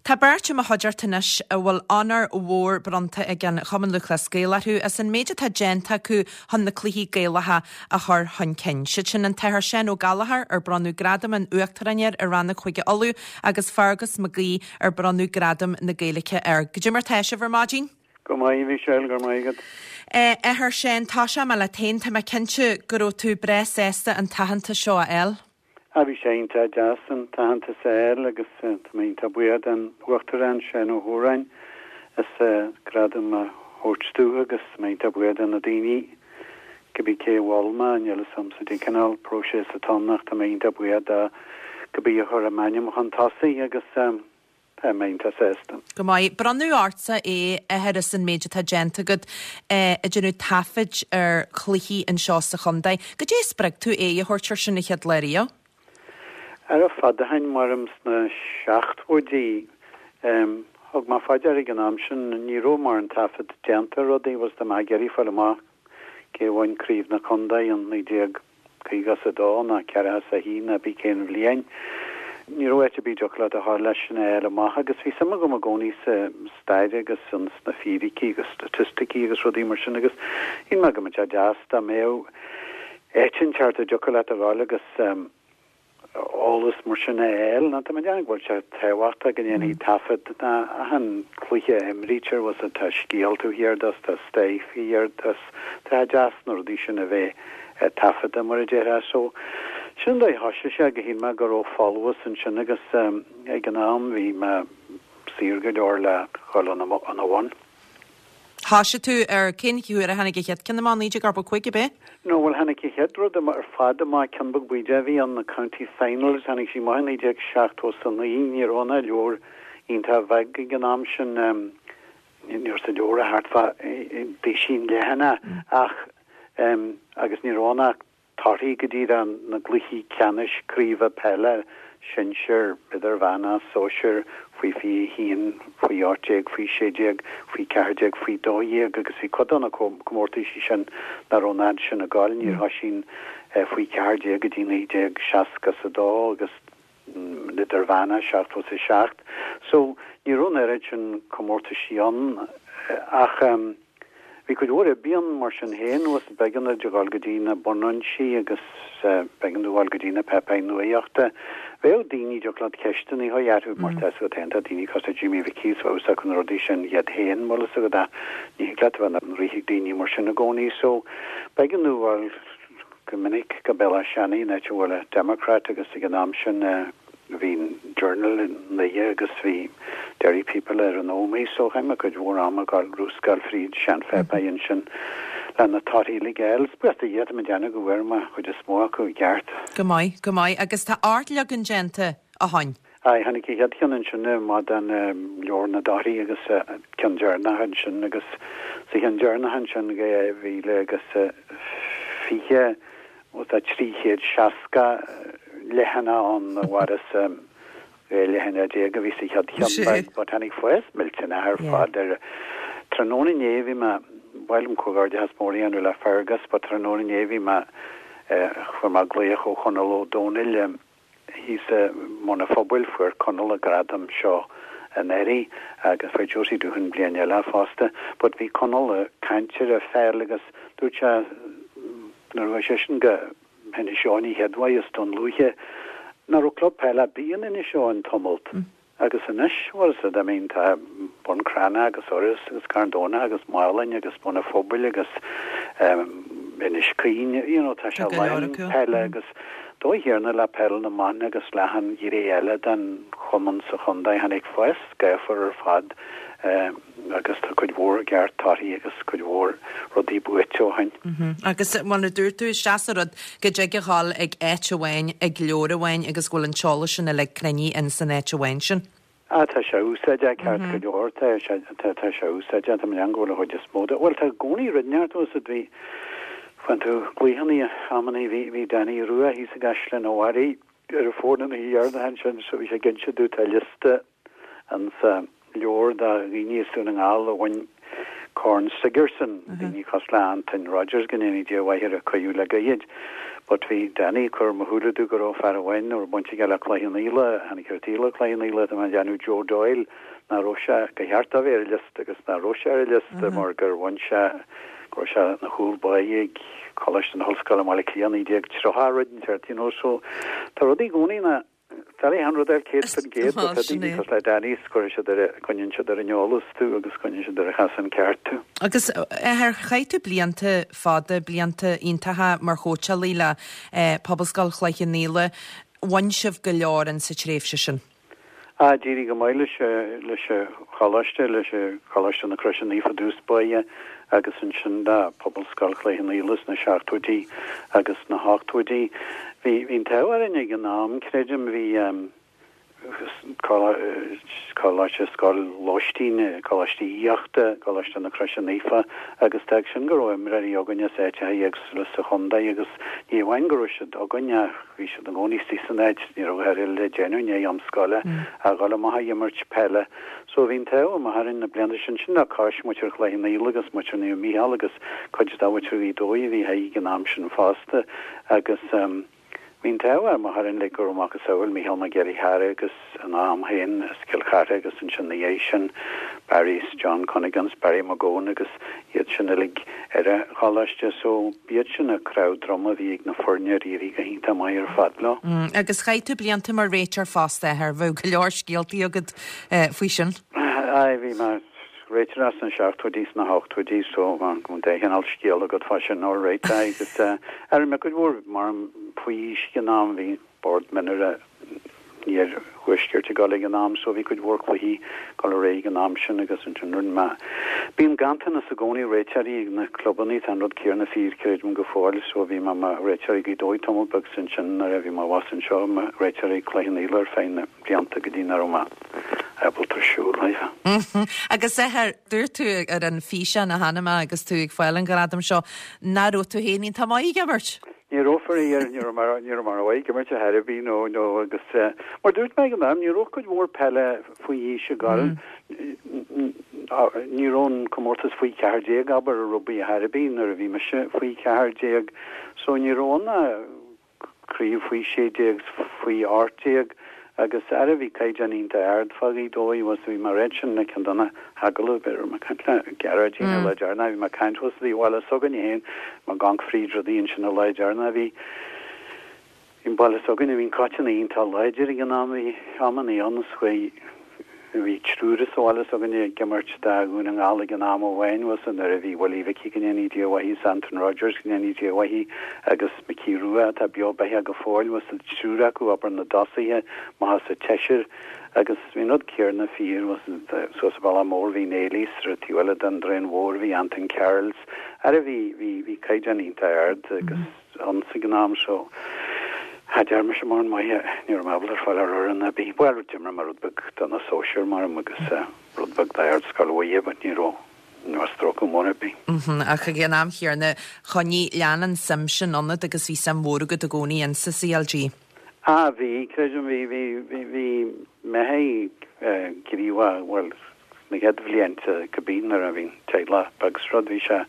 Tá beirt i mo chuideachta anois a bhfuil onóir mhór bronnta ag an Chumann Lúthchleas Gael orthu as an méid atá déanta acu chun na cluichí Gaelacha a chur chun cinn. Siad sin an tAthair Seán Ó Gallchóir ar bronnadh Gradam an Uachtaráin air i Rannóg Chúige Uladh agus Fergus Mac Aoidh ar bronnadh Gradam na Gaeilge air. Goidé mar tá sibh ar maidin? Go maith, a Mhichelle, go raibh maith agat. A Athair Seán, tosóidh mé leat féin, tá mé cinnte go raibh tú breá sásta an t-aitheantas seo a fháil. Ah, bhí sé iontach deas an t-aitheantas a fháil agus tá mé iontach buíoch den Uachtarán, Seán Ó hÓráin, as gradam a thabhairt domh agus tá mé iontach buíoch de na daoine, cibé cé a mhol mé, níl fhios a'msa cén cineál próiseas atá ann ach tá mé iontach buíoch de cibé a chuir m'ainm chun tosaigh agus tá mé iontach sásta. Go maith. Bronnadh ortsa é a as an méid atá déanta agat ag déanamh taifid ar chluichí anseo sa chontae. Goidé a spreag tú é a thabhairt air sin an chéad lá riamh? Ara fada ó shin maram sna seachtóidí thug mé faoi deara ag an am sin ní raibh mórán taifead déanta ar rudaí was tá mé ag iarraidh fáil amach cé bhain craobh na contae in naoi déag caoga is a dó ná ceathracha is a haon ná bí cén bhliain. Ní raibh áit ar bith a dtiocfadh leat a ghabháil leis sin a fháil amach agus bhí suim agam i gcónaí sa stair agus sna fíricí agus staitisticí agus rudaí mar sin agus shíl mé go mbeadh sé deas dá mbeadh áit inteacht a dtiocfadh leat a ghabháil agus eolas mar sin a fháil ná tá mé ag déanamh go bhfuil sé tábhachtach go ndéanfaí taifead na achan cluiche a imrítear was tá scéal taobh thiar de tá stair taobh thiar de tá deas na rudaí sin a bheith taifeadta mar a déarfá so sin dóigh thosaigh sé go shíl mé go raibh folmhas ansin agus ag an am bhí mé saor go leor le dhul ina bhun. Thosaigh tú ar cén uair a tháinig an chéad ceann amach naoi déag ochtó cúig ab é? No bhuel tháinig an chéad rud amach ar fad amach ceann beag bídeach a bhí ann na County Finals tháinig sí amach i naoi déag seachtó is a naoi ní raibh ann ach leabhar iontach bheag ag an am sin ní raibh sa leabhar ach thart fá duisín leathanach ach agus ní raibh ann ach torthaí go dtí na gcluichí ceannais craoibhe peile sinsir, idirmheánach, sóisir, faoi fiche a haon, faoi ocht déag, faoi sé déag, faoi ceathair déag, faoi dó dhéag agus bhí cuid de na comórtaisí sin nach raibh an fhad sin ag gabháil, níor thosaigh an faoi ceathair déag go dtí naoi déag seasca is a dó agus idirmheánach seachtó is a seacht. So ní raibh an oiread sin comórtaisí ann ach Bhí cuid mhór oibre ann mar sin féin, was b'éigean duit a dhul go dtí na bunfhoinsí agus b'éigean duit a dhul go dtí na páipéir nuachta. Bheadh daoine, dtiocfadh leat ceisteanna a chur orthu mar tá a fhios agat féin, tá daoine cosúil le Jimmy Mhicí is bheadh fhios acu na rudaí sin iad féin, bhfuil fhios agat ach ní thig leat a bheith ina rith ag daoine mar sin i gcónaí so b'éigean duit a dhul go minic go Béal Átha Seanaidh, an áit a bhfuil an Democrat agus ag an am sin bhí an Journal i nDoire agus bhí Derry People ar an Ómaigh so chaith mé cuid mhór ama ag gabháil rúscáil fríd seanpháipéir ansin le na torthaí uilig a fháil. Is buíochas do Dhia tá mé ag déanamh go bhfuair mé chuid is mó acu i gceart. Go maith, go maith. Agus tá ocht leagan déanta ó shoin. Aye, tháinig an chéad cheann ansin amach den leabhar na dtorthaí agus ceann deireanach ansin agus sa cheann deireanach ansin dhá mhíle agus fiche Bhuel tá trí chéad seasca leathanach ann whereas dhá leathanach déag a bhí sa chéad cheann beag but tháinig fás millteanach ar fad air. Tráthnóna inné bhí mé, ba mhaith liom comhghairdeachas mór a dhéanamh le Fergus but tráthnóna inné bhí mé, fuair mé glaoch ó Chonall Ó Domhnaill thíos i mBun an Phobail, fuair Conall an gradam seo anuraidh agus fuair Josie Doohan bliain eile fosta but bhí Conall ag caint ar an pheil agus dúirt sé Nuair a chuaigh seisean go hInis Eoghain an chéad uair is Dún Lúiche, nach raibh club peile ar bith in Inis Eoghain tamalt. Agus anois, bhfuil fhios agat, I mean, tá Bun Cranncha agus Iorras agus Carn Domhnach agus Málainn agus Bun an Phobail agus Inis Caoin, you know, tá sé lán peile agus dóigh chéanna le peil na mban agus le achan ghné eile den chumann sa chontae, tháinig fás gaofar ar fad. Agus tá cuid mhór ceart torthaí agus cuid mhór rudaí buaite ó shin. Agus mar a dúirt tú, is deas an rud go dtig a dhul ag áit amháin, ag leabhar amháin agus go bhfuil an t-eolas sin uilig cruinnithe in san áit amháin sin. Ah, tá sé úsáideach ceart go leor, tá sé, tá sé úsáideach, tá mé ag déanamh go bhfuil an chuid is mó de, bhuel tá i gcónaí rud inteacht bhfuil fhios agat, bhí, faigheann tú glaochanna amannaí, bhí, bhí Danny Rua thíos i gCaisleán an Bharraigh ar an bhfón an oíche dheireanach ansin so bhí sé ag inse domh tá liosta ansa leabhar de dhaoine as Dún na nGall a bhain Corn Sigerson, daoine cosúil le Antoin Rogers, go ndéanaí Dia a mhaith air a cailleadh le gairid. But bhí Danny ag cur ar mo shúile domh go raibh fear amháin a raibh baint aige le Cloich Cheann Fhaola, tháinig ar taobh le Cloich Cheann Fhaola, tá mé ag déanamh Joe Doyle, nach raibh sé, gur cheart dó bheith ar an liosta agus nach raibh sé ar an liosta mar gur bhain sé, go raibh sé ina chúl báire ag Coláiste na hOllscoile i mBaile Átha Cliath naoi déag tríocha rud inteacht, you know, so tá rudaí i gcónaí na Doiligh aon rud a fháil céad faoin gcéad but tá daoine cosúil le Danny is cuirfidh siad ar a, coinníonn siad ar an eolas tú agus coinníonn siad ar an chasán ceart tú. Agus ar chaith tú blianta fada, blianta iontacha mar chóitseálaí le Pobalscoil Chloich Cheann Fhaola, bhain sibh go leor in sa tréimhse sin? Ah, d'éirigh go maith leis, leis an choláiste, leis Choláiste na Croise Naofa i dtús báire agus ansin le Pobalscoil Chloich Cheann Fhaola sna seachtóidí agus sna hochtóidí. Bhí bhí an t-ádh orainn ag an am, creidim, bhí coláiste scoil lóistín, Coláiste Aíochta, Coláiste na Croise Naofa agus d'fhág sin go raibh imreoirí againn as áiteacha éagsúla sa chontae agus ní amháin go raibh siad againn ach bhí siad i gcónaí istigh san áit, ní raibh a dhath eile le déanamh i ndiaidh am scoile ach dhul amach ag imirt peile. So bhí an t-ádh amach orainn na blianta sin, sin le cois muintir Chloich Cheann Fhaola agus muintir Naomh Mícheál agus cuid de mhuintir Ghaoth Dobhair a bhí ag an am sin fosta agus Bhí an t-ádh amach orainn like go raibh macasamhail Mícheál Mac Giolla Chearra agus ina am féin as Cill Chartha agus ansin ina dhiaidh sin Barry 's John Cunnigan 's Barry McGowan agus iad sin uilig ar an choláiste so b'iad sin an cnámh droma a bhí ag na foirne ar éirigh go hiontach maith ar fad leo. Agus chaith tú blianta mar réiteoir fosta, a Athair, bheadh go leor scéaltaí agat faoi sin. Aye, bhí mé. Réiteoir sna seachtóidí 's na hochtóidí so go dá chineál scéal agat fá sin all right agus ar mé cuid mhór mar faoi aois ag an am bhí bord mionúir an iarthuaiscirt ag dul ag an am so bhí cuid mhór cluichí ag dul ar aghaidh ag an am sin agus ansin rinne mé Bíonn ganntanas i gcónaí réiteoirí ag na clubannaí tá an rud céanna fíor creidim go fóill so bhí mé i mo réiteoir ag Gaoth Dobhair tamall beag 's ansin nuair a bhí mé abhus anseo i mo réiteoir ag Cloich Cheann Fhaola ar feadh na blianta go dtí nach raibh mé ábalta siúl roimhe. Agus a Athair, dúirt tú ar an físeán a chonaic mé agus tú ag fáil an ghradam seo, nach raibh tú féin iontach maith ag imirt? Ní raibh faraor, ní raibh mé ní raibh mé rómhaith ag imirt ar chor ar bith nó nó agus mar dúirt mé ag an am ní raibh cuid mhór peile faoi aois ag dul ní raibh an comórtas faoi ceathair déag abair ar rugbaí ar chor ar bith nuair a bhí mise faoi ceathair déag so ní raibh ann ach craobh faoi sé déag faoi ocht déag agus ara bhí caighdeán iontach ard fá Ghaoth Dobhair was bhí mé ag ráit sin le ceann de na hagallaimh b'fhéidir mé ag caint le Gearóidín an lá deireanach bhí mé ag caint thuas i bhaile s'againne féin mé ag amharc fríd rudaí ansin an lá deireanach bhí bhí an baile s'againne bhí an coiteann iontach láidir ag an am bhí amannaí ann is chuaigh Bhí triúr as an bhaile s'againne ag imirt do Dhún na nGall ag an am amháin, was nuair a bhí Willie Mhicí go ndéanaí Dia a mhaith is Anton Rodgers go ndéanaí Dia a mhaith agus Micí Rua atá beo beathach go fóill, was an triúr acu abair na dtosaithe maithe sa tseisear agus bhí an rud céarna fíor, was suas an Bealach Mór bhí Neilís ar an taobh eile den Droim Mhór bhí Anton Carrolls ara bhí bhí bhí caighdeán iontach ard agus ann ag an am so Cha dearna mise mórán maith, ní raibh mé ábalta fáil ar fhoireann ar bith. Bhuel, d'imir mé rud beag do na sóisir mar agus rud beag d'Ardscoil Mhuire but ní raibh, ní raibh stróiceadh mór ar bith. Ach ag an am chéanna, choinnigh, lean an suim sin ionat agus bhí suim mhór agat i gcónaí insa CLG. Ah, bhí, creidim, bhí, bhí, bhí, bhí mé gníomhach, bhuel, sna chéad bhlianta cibé nuair a bhí an teaghlach beag 's rud, bhí sé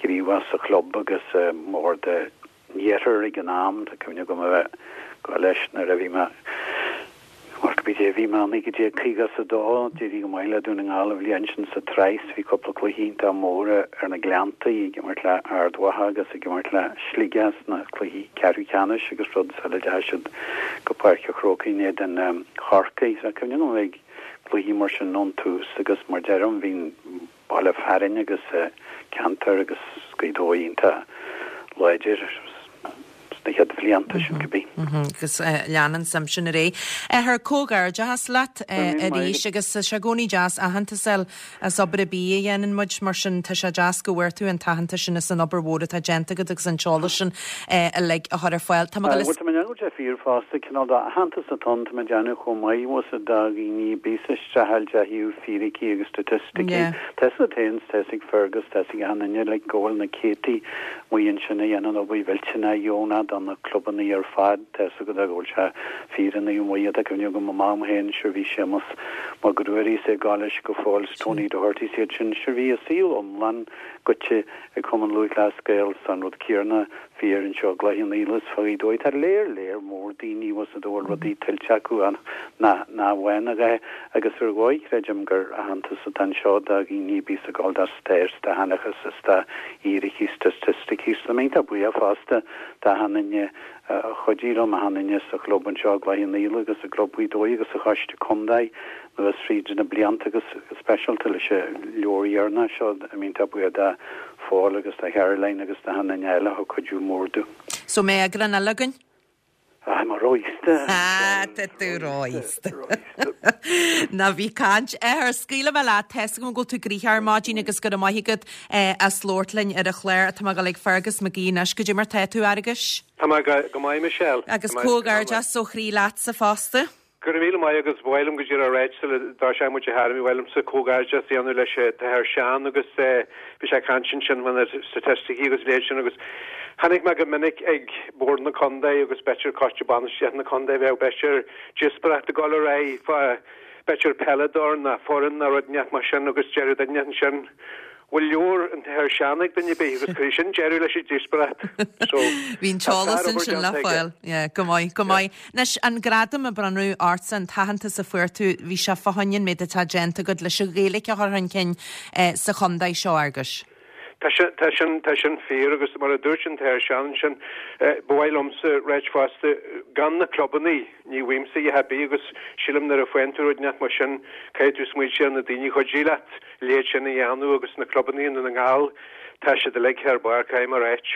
gníomhach sa chlub agus i mbord an Iarthair ag an am, tá cuimhne agam a bheith ag gabháil leis nuair a bhí mé, bhuel cibé dé bhí mé, naoi déag caoga is a dó, d'éirigh go maith le Dún na nGall an bhliain sin sa tsraith, bhí cúpla cluiche iontach mór ar na Gleanntaí, ag imirt le Ard Mhacha agus ag imirt le Sligeach sna cluichí ceathrú ceannais agus rud sula dteachaigh siad go Páirc an Chrócaigh in éadan Chorcaí. Tá cuimhne agam a bheith ag cluichí mar sin ón tús agus mar deirim bhí an baile fearainn agus ceantar agus Gaoth Dobhair iontach láidir sna chéad bhlianta sin cibé. Agus lean an suim sin ar aghaidh. Athair, comhghairdeachas leat arís agus tá sé i gcónaí deas aitheantas a fháil as obair ar bith a dhéanann muid mar sin tá sé deas go bhfuair tú an t-aitheantas sin as an obair mhór atá déanta agat agus an t-eolas sin uilig a chur ar fáil. Tá mé Bhuel tá mé ag déanamh fíor fosta cineál de aitheantas atá ann tá mé ag déanamh chomh maith bhfuil do dhaoine bíos ag streachailt ó thaobh fíricí agus staitisticí. Tá 'fhios agat féin 's tá 'fhios ag Fergus tá 'fhios ag achan duine like go bhfuil na céadtaí amuigh ansin a dhéanann obair mhillteanach dheonach do na clubanna ar fad. Tá 'fhios agat go bhfuil sé fíor i Naomh Muire tá cuimhne agam mo mham féin sure bhí Séamus Mac Ruairí is é ag gabháil leis go fóill 's Tony Doherty 's iad sin sure bhí a saol iomlán goite ag Cumann Lúthchleas Gael 's an rud céarna fíor anseo i gCloich Cheann Fhaola is fá Ghaoth Dobhair. Tá léar léar mór daoine bhfuil 'fhios a'd a bhfuil rudaí tuillte acu ach nach nach bhfaigheann a dhath agus ar dhóigh creidim gur aitheantas atá anseo do dhaoine a bíos ag gabháil do stair 's do sheanchas is do fhíricí 's do staitisticí 's tá mé iontach buíoch fosta d'achan duine a chuidigh liom, achan duine sa chlub anseo i gCloich Cheann Fhaola agus i gClub Ghaoth Dobhair agus sa Choiste Contae anuas fríd na blianta agus go speisialta leis an leabhar dheireanach seo, tá mé iontach buíoch do Phól agus do Charoline agus d'achan duine eile a thug cuidiú mór domh. So mbeidh eagrán eile againn? Ah, mé ró-aosta. Ah, tá tú ró-aosta. Ná bí ag caint. Athair, scaoilfidh mé leat, tá a fhios agam go bhfuil tú gnoitheach ar maidin agus go raibh maith agat as labhairt linn ar an chlár. Tá mé ag dul ag Fergus McGee anois. Goidé mar tá tú, a Fhearghuis? Tá mé go maith, Michelle. Agus comhghairdeas ó chroí leatsa fosta. Go raibh míle maith agus ba mhaith liom go díreach a ráit sula dtoiseoidh muid a Thearmaí, ba mhaith liomsa comhghairdeas a dhéanamh leis an tAthair Seán agus bhí sé ag caint ansin fá na staitisticí agus a leithéid sin agus chonaic mé go minic ag Bord na Contae agus b'fhéidir Coiste Bainistíochta na Contae bheadh b'fhéidir díospóireacht ag dul ar aghaidh fá b'fhéidir peileadóir ná foireann ná rud inteacht mar sin agus deireadh duine ansin bhfuil leabhar an tAthair Seán ag duine ar bith agus cuireadh sin deireadh leis an díospóireacht. So, Bhí an tá t-eolas sár-obair ansin le déanta aige. fáil. Yeah, go maith, go maith. Anois, an gradam a bronnadh ortsa, an t-aitheantas a fuair tú, bhí sé fá choinne an méid atá déanta agat leis an Ghaeilge a chur chun cinn eh, sa chontae seo, a Fhearghuis. Tá sin, tá sin, tá sin fíor agus mar a dúirt an tAthair Seán ansin, eh, ba mhaith liomsa ráit fosta, gan na clubannaí, ní bhfaighimse a dhath ar bith agus sílim nuair a faigheann tú rud inteacht mar sin, caithfidh tú smaointiú ar na daoine a chuidigh leat a leithéid sin a dhéanamh agus na clubannaí i Ndún na nGall, tá siad uilig thar barr, caithfidh mé a ráit.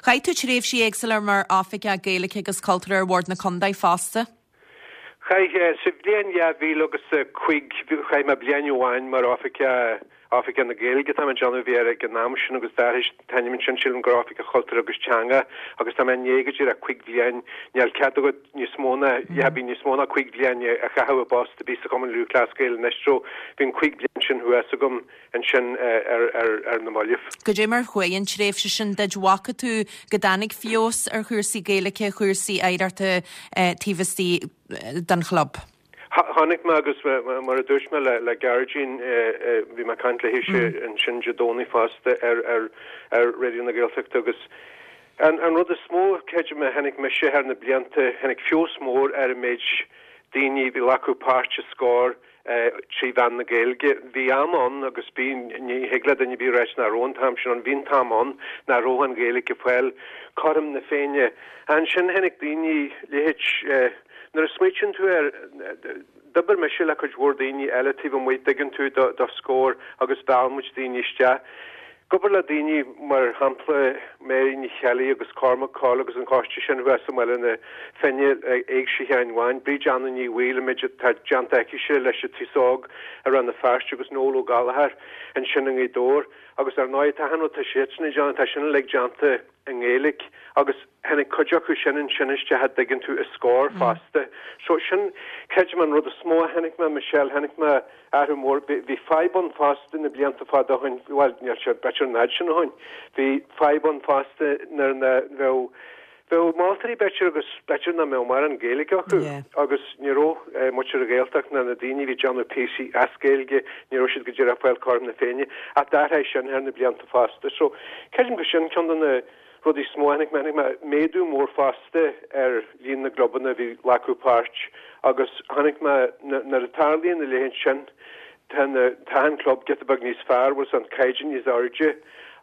Chaith tú tréimhsí éagsúla mar oifigeach Gaeilge agus Cultúir ar Bhord na Contae fosta? Chaith, sa bhliain dhá mhíle agus a cúig, chaith mé bliain amháin mar oifigeach, Oifigeach na Gaeilge tá mé ag déanamh a bhí air ag an am sin agus d'athraigh an t-ainm ansin sílim gur Oifigeach Cultúir agus Teanga agus tá mé i ndiaidh go díreach cúig bhliain, níl cead agat níos mó ná, yeah, bhí níos mó ná cúig bhliain a chaitheamh i bpost a bhí sa Chumann Lúthchleas Gael anois so bhí an cúig bliain sin thuas agam ansin ar, ar, ar na mallaibh. Goidé mar chuaigh an tréimhse sin duit, bhfaca tú go dtáinig feabhas ar chúrsaí Gaeilge, chúrsaí oidhreachta taobh istigh den chlub? Chonaic mé agus mar a dúirt mé le Gearóidín, bhí mé ag caint léithise ansin Dé Domhnaigh fosta ar ar Raidió na Gaeltachta agus an an rud is mó creidim a chonaic mise thar na blianta, tháinig feabhas mór ar an méid daoine a bhí ag glacadh páirt i Scór trí mheán na Gaeilge. Bhí am ann agus bhí, ní thig le duine ar bith a ráit nach raibh an t-am sin ann, bhí an t-am ann nach raibh an Ghaeilge ag fáil cothrom na Féinne. Ansin tháinig daoine, leithéid, nuair a smaoitíonn tú air, d'oibir mise le cuid mhór daoine eile taobh amuigh, tuigeann tú, do, do Scór agus mheall muid daoine isteach. Ag obair le daoine mar shampla Mary Ní Cheallaigh agus Cormac Coyle agus an coiste sin thuas i mBaile na Finne, Éigse Sheáin Bháin, Bríd Anna Ní Bhaoill, an méid atá déanta aicise leis an t-aos óg i Rann na Feirste agus Noel Ó Gallchóir ansin i nGaoth Dobhair agus ar ndóigh tá achan rud atá siadsan ag déanamh, tá sin uilig déanta i nGaeilge agus tháinig cuid acu sin ansin isteach a dtuigeann tú i Scór fosta. So sin, creidim an rud is mó a chonaic mé, Michelle, chonaic mé athrú mór. Bhí fadhb ann fosta na blianta fada ó shin, bhuel, níl sé b'fhéidir an fhad sin ó shin, bhí fadhb ann fosta nuair na bheadh, bheadh moltóirí b'fhéidir agus b'fhéidir nach mbeadh mórán Gaeilge acu agus ní raibh muintir na Gaeltachta ná na daoine a bhí ag déanamh píosaí as Gaeilge, ní raibh siad go díreach ag fáil cothrom na Féinne ach d'athraigh sin thar na blianta fosta. So, creidim gur sin ceann de na rudaí is mó a chonaic mé, chonaic mé méadú mór fosta ar líon na gclubanna a bhí ag glacadh páirt agus chonaic mé nuair a tarlaíonn a leithéid sin, tá na, tá an club giota beag níos fearr, bhfuil an caighdeán níos airde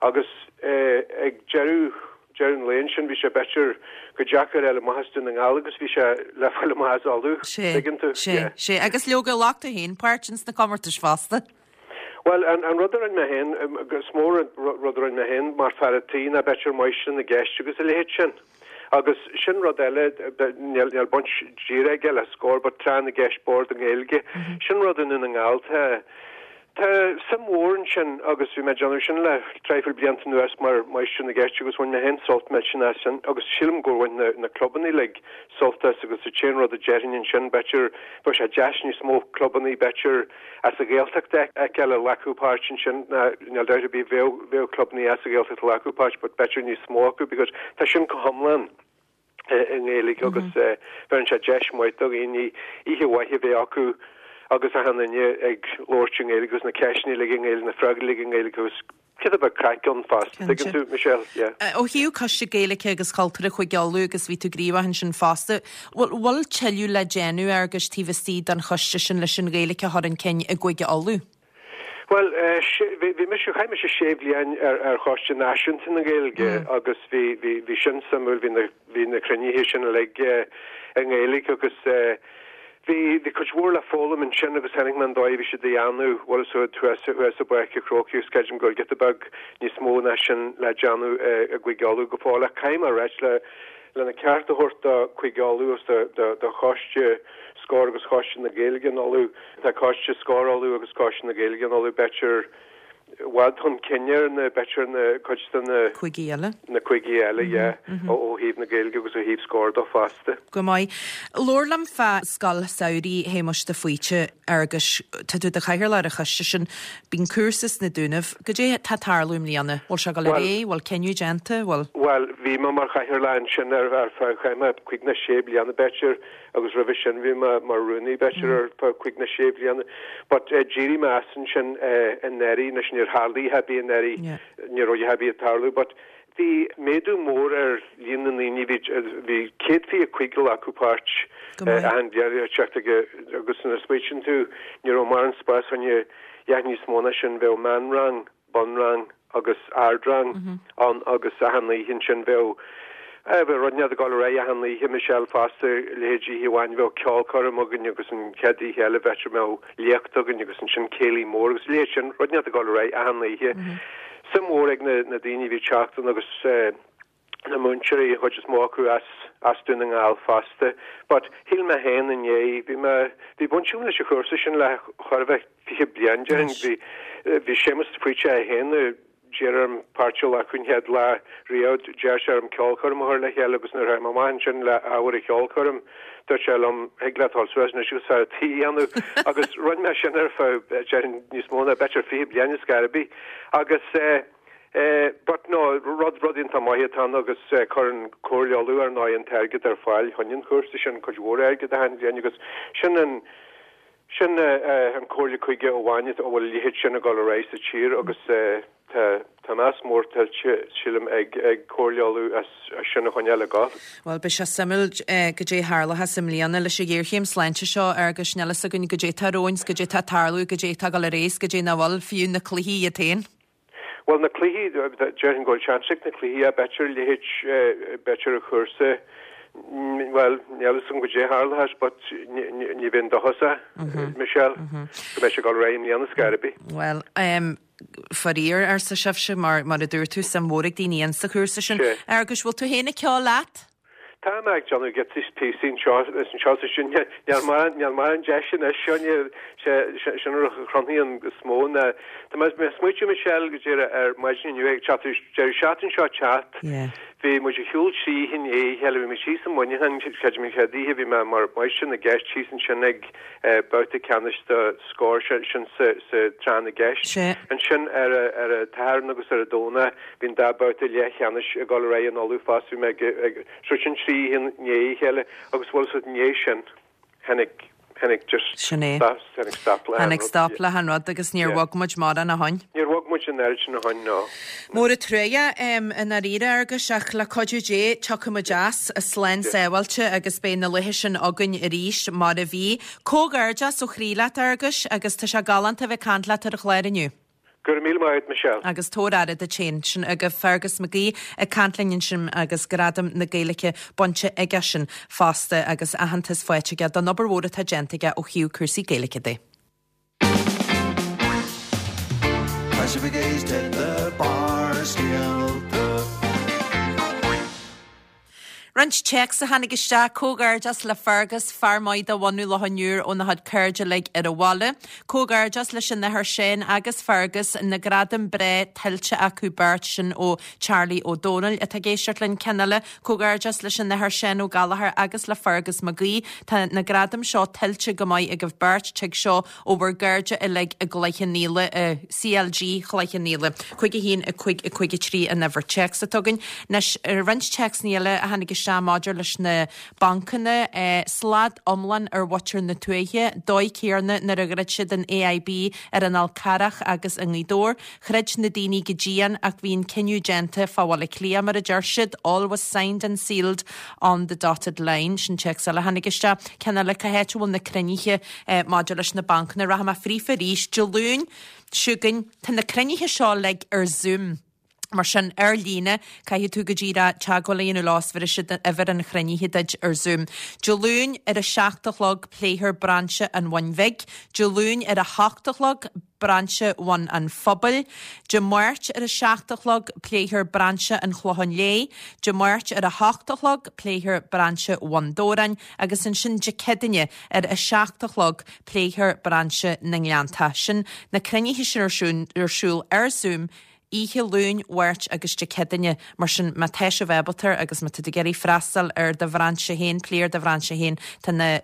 agus ag deireadh, deireadh an lae ansin bhí sé b'fhéidir chomh deacair a fháil amach as Dún na nGall agus bhí sé le fáil amach as Uladh, Sé, tuigeann tú? sé, sé. Agus leoga ghlac tú féin páirt ins na comórtais fosta. Bhuel, an rud a rinne mé féin, is mór an rud a rinne mé féin mar fear a' tí ná b'fhéidir máistir na gceist agus a leithéid sin. Agus sin rud eile, níl baint díreach aige le Scór, but tráth na gceist boird i nGaeilge, sin rud i nDún na nGall. Tá, tá suim mhór ansin agus bhí mé ag déanamh sin le traidhfil blianta anuas mar máistir na gceist agus bhain mé féin sult millteanach as sin agus sílim gur bhain na, na clubanna uilig sult as agus an t-aon rud a déarfainn ansin, b'fhéidir, bheadh sé deas níos mó clubanna, b'fhéidir, as an Ghaeltacht a fheiceáil ag glacadh páirt ansin, ná níl dabht ar bith bheadh bheadh clubanna as an Ghaeltacht ag glacadh páirt but b'fhéidir níos mó acu because tá sin go hiomlán i nGaeilge agus bheireann sé deis maith do dhaoine oíche mhaith a bheith acu agus achan duine ag labhairt i nGaeilge agus na ceisteanna uilig i nGaeilge, na freagraí uilig i nGaeilge agus giota beag craic ann fosta, tuigeann tú, Michelle, yeah. Ó thaobh Coiste Gaeilge agus Cultúrtha Chúige Uladh agus bhí tú gníomhach ansin fosta, bhfuil bhfuil tuilleadh le déanamh Fhearghuis taobh istigh den choiste sin leis an Ghaeilge a chur chun cinn i gCúige Uladh? Bhuel, bhí bhí mise, chaith mise sé bhliain ar ar Choiste Náisiúnta na Gaeilge agus bhí bhí bhí sin suimiúil, bhí na bhí na cruinnithe sin uilig i nGaeilge agus Bhí, bhí cuid mhór le foghlaim ansin agus chonaic mé an dóigh a bhí siad a dhéanamh, bhuel is thuas, thuas i bPáirc an Chrócaigh agus creidim go bhfuil giota beag níos mó ná sin le déanamh i gCúige Uladh go fóill ach caithfidh mé a ráit le, lena ceart a thabhairt do Chúige Uladh agus do do choiste Scór agus Choiste na Gaeilge in Uladh. Tá Coiste Scór Uladh agus Coiste na Gaeilge in Uladh b'fhéidir i bhfad chun cinn ar na b'fhéidir na cuid de na cúigí eile. Na cúigí eile, yeah, ó thaobh na Gaeilge agus ó thaobh Scór de fosta. Go maith. Labhair liom fá Scoil Samhraidh Shéamuis de Faoite, Fhearghuis. Tá tú i do chathaoirleach ar an choiste sin. Bíonn cúrsa sna Dúnaibh. Goidé tá ag tarlú i mbliana? Bhfuil sé ag dul ar aghaidh? Bhfuil cinneadh déanta? Bhfuil. Bhuel, bhí mé mar chathaoirleach ansin ar ar feadh chaith mé cúig nó sé bliana b'fhéidir agus roimhe sin bhí mé mar rúnaí b'fhéidir ar feadh cúig nó sé bliana. But d'éirigh mé as ansin anuraidh, anois níor tharla a dhath ar bith anuraidh, ní raibh a dhath ar bith ag tarlú but bhí méadú mór ar líon na ndaoine, bhí bhí céad fiche cúig ag glacadh páirt achan bhliain ag teacht ag agus nuair a smaoitíonn tú ní raibh mórán spás fá choinne a dhath níos mó ná sin, bheadh meánrang, bunrang agus ardrang ann agus achan oíche ansin bheadh bheadh rud inteacht ag dul ar aghaidh achan oíche, Michelle fosta, leithéid oíche amháin bheadh ceolchoirm againn agus an chéad oíche eile b'fhéidir mbeadh léacht againn agus ansin céilí mór agus leithéid sin, rud inteacht ag dul ar aghaidh achan oíche. Suim mhór ag na na daoine a bhí ag teacht ann agus na múinteoirí, an chuid is mó acu as as Dún na nGall fosta. But shíl mé féin inné, bhí mé, bhí baint agam leis an chúrsa sin le chóir a bheith fiche bliain déarfainn. Bhí bhí Séamus de Faoite é féin a d'iarr orm páirt a ghlacadh an chéad lá riamh, d'iarr sé orm ceolchoirm a chur le chéile agus nuair a tháinig mé amach ansin le ábhar an cheolchoirm, dúirt sé liom, thig leat dul suas anois agus fear an tí a dhéanamh agus rinne mé sin ar feadh déarfainn níos mó ná b'fhéidir fiche bliain ar scor ar bith agus eh eh but no, rud rud iontach maith atá ann agus eh cuireann Comhairle Uladh ar ndóigh an t-airgead ar fáil chun an chúrsa sin, cuid mhór airgid achan bhliain agus sin an Sin an Comhairle Cúige amháin a bhfuil a leithéid sin ag dul ar aghaidh sa tír agus tá tá meas mór tuillte, sílim, ag ag Comhairle Uladh as sin a choinneáil ag dul. Bhuel, beidh sé suimiúil goidé a tharlóchas i mbliana leis an ghéarchéim sláinte seo agus níl a fhios againn goidé atá romhainn, 's goidé atá ag tarlú, goidé atá ag dul ar aghaidh 's goidé nach bhfuil, fiú na cluichí iad féin. Bhuel, na cluichí, déarfainn go bhfuil seans ag na cluichí, b'fhéidir a leithéid, b'fhéidir an chúrsa, bhuel, níl a fhios agam goidé a tharlóchas but ní bheinn dóchasach, Michelle, go mbeidh sé ag dul ar aghaidh i mbliana ar scor ar bith. Bhuel, faraor, arsa sibhse, mar, mar a dúirt tú, suim mhór ag daoine insa chúrsa sin. Agus bhfuil tú féin ag ceol leat? Tá mé ag déanamh giota píosaí anseo is anseo is ansin. Níl mórán níl mórán deis anois seo ní sé sin an rud a chruthaíonn is mó ná tá mé ag smaoitiú Michelle go díreach ar maidin inniu ag teacht deireadh seachtaine seo teacht bhí muid ar shiúl trí oíche i ndiaidh a chéile bhí muid thíos i Muineachán creidim an chéad oíche bhí mé mar mháistir na gceist thíos ansin ag babhta ceannais do Scór sin sa sa tráth na gceist ansin ar ar an tSatharn agus ar an Domhnach bhí an dá babhta leathcheannais ag dul ar aghaidh in Uladh fosta bhí mé ag ag So sin trí oíche i ndiaidh a chéile agus bhuel so i ndiaidh sin tháinig, tháinig just Sin é. stop, tháinig stop le Tháinig han rud. stop le han rud agus níor Yeah. bhog muid mórán ó shoin. Níor bhog muid an oiread sin ó shoin, no. Mór an truaighe i ndáiríre Fhearghuis ach le cuidiú Dé tiocfaidh muid as, slán sábháilte agus beidh na laethe sin againn arís mar a bhí. Comhghairdeas ó chroí leat Fhearghuis agus tá sé galánta a bheith ag caint leat ar an chlár inniu. Go raibh míle maith agat, Michelle. Agus tabhair aire duit féin. Sin agaibh Fergus McGee ag caint linn ansin agus Gradam na Gaeilge bainte aige sin fosta agus aitheantas faighte aige don obair mhór atá déanta aige ó thaobh cúrsaí Gaeilge de. Tá sibh ag éisteacht le Barrscéalta. Roinnt téacs a tháinig isteach, Comhghairdeas le Fergus, fear maith de bhunadh Loch an Iúir óna chuid cairde uilig ar an bhaile. Comhghairdeas leis an Athair Seán agus Fergus, na gradaim breá tuillte acu beirt sin ó Charlie Ó Dónaill atá ag éisteacht linn. Ceann eile, Comhghairdeas leis an Athair Seán Ó Gallchóir agus le Fergus Mac Aoidh. Tá na gradaim seo tuillte go maith agaibh beirt, tig seo ó bhur gcairde uilig i gCloich Cheann Fhaola, CLG Chloich Cheann Fhaola. Cúig a haon, a cúig, a cúig a trí an uimhir téacs atá againn. Anois, roinnt téacsanna eile a tháinig isteach maidir leis na bancanna, slad iomlán ar mhuintir na tuaithe, dóigh céarna nuair a dhruid siad an AIB ar an Fhál Carrach agus i nGaoth Dobhair. Throid na daoine go dian ach bhí an cinneadh déanta fá Bhaile Átha Cliath, mar a deir siad, all was signed and sealed on the dotted line. Sin téacs eile a tháinig isteach. Ceann eile, cá háit a bhfuil na cruinnithe maidir leis na bancanna? Rachaidh mé fríofa arís. Dé Luain chugainn, tá na cruinnithe seo uilig ar Zoom. Mar sin ar líne caithfidh tú go díreach teagmháil a dhéanamh leo is bhéarfaidh siad uimhir an chruinnithe duit ar Zoom. Dé Luain ar a seacht a chlog pléifear brainse an Bhun Bhig, Dé Luain ar a hocht a chlog brainse Bhun an Phobail, Dé Máirt ar a seacht a chlog pléifear brainse an Chlocháin Léith, Dé Máirt ar a hocht a chlog pléifear brainse Bhun Dobhráin agus ansin Dé Céadaoine ar a seacht a chlog pléifear brainse na nGleanntach. Sin na cruinnithe sin ar siúl ar siúl ar Zoom oíche Luain, Mháirt agus Dé Céadaoine, mar sin má tá sibh ábalta agus má tá tú ag iarraidh freastal ar do bhrainse féin, plé ar do bhrainse féin, tá na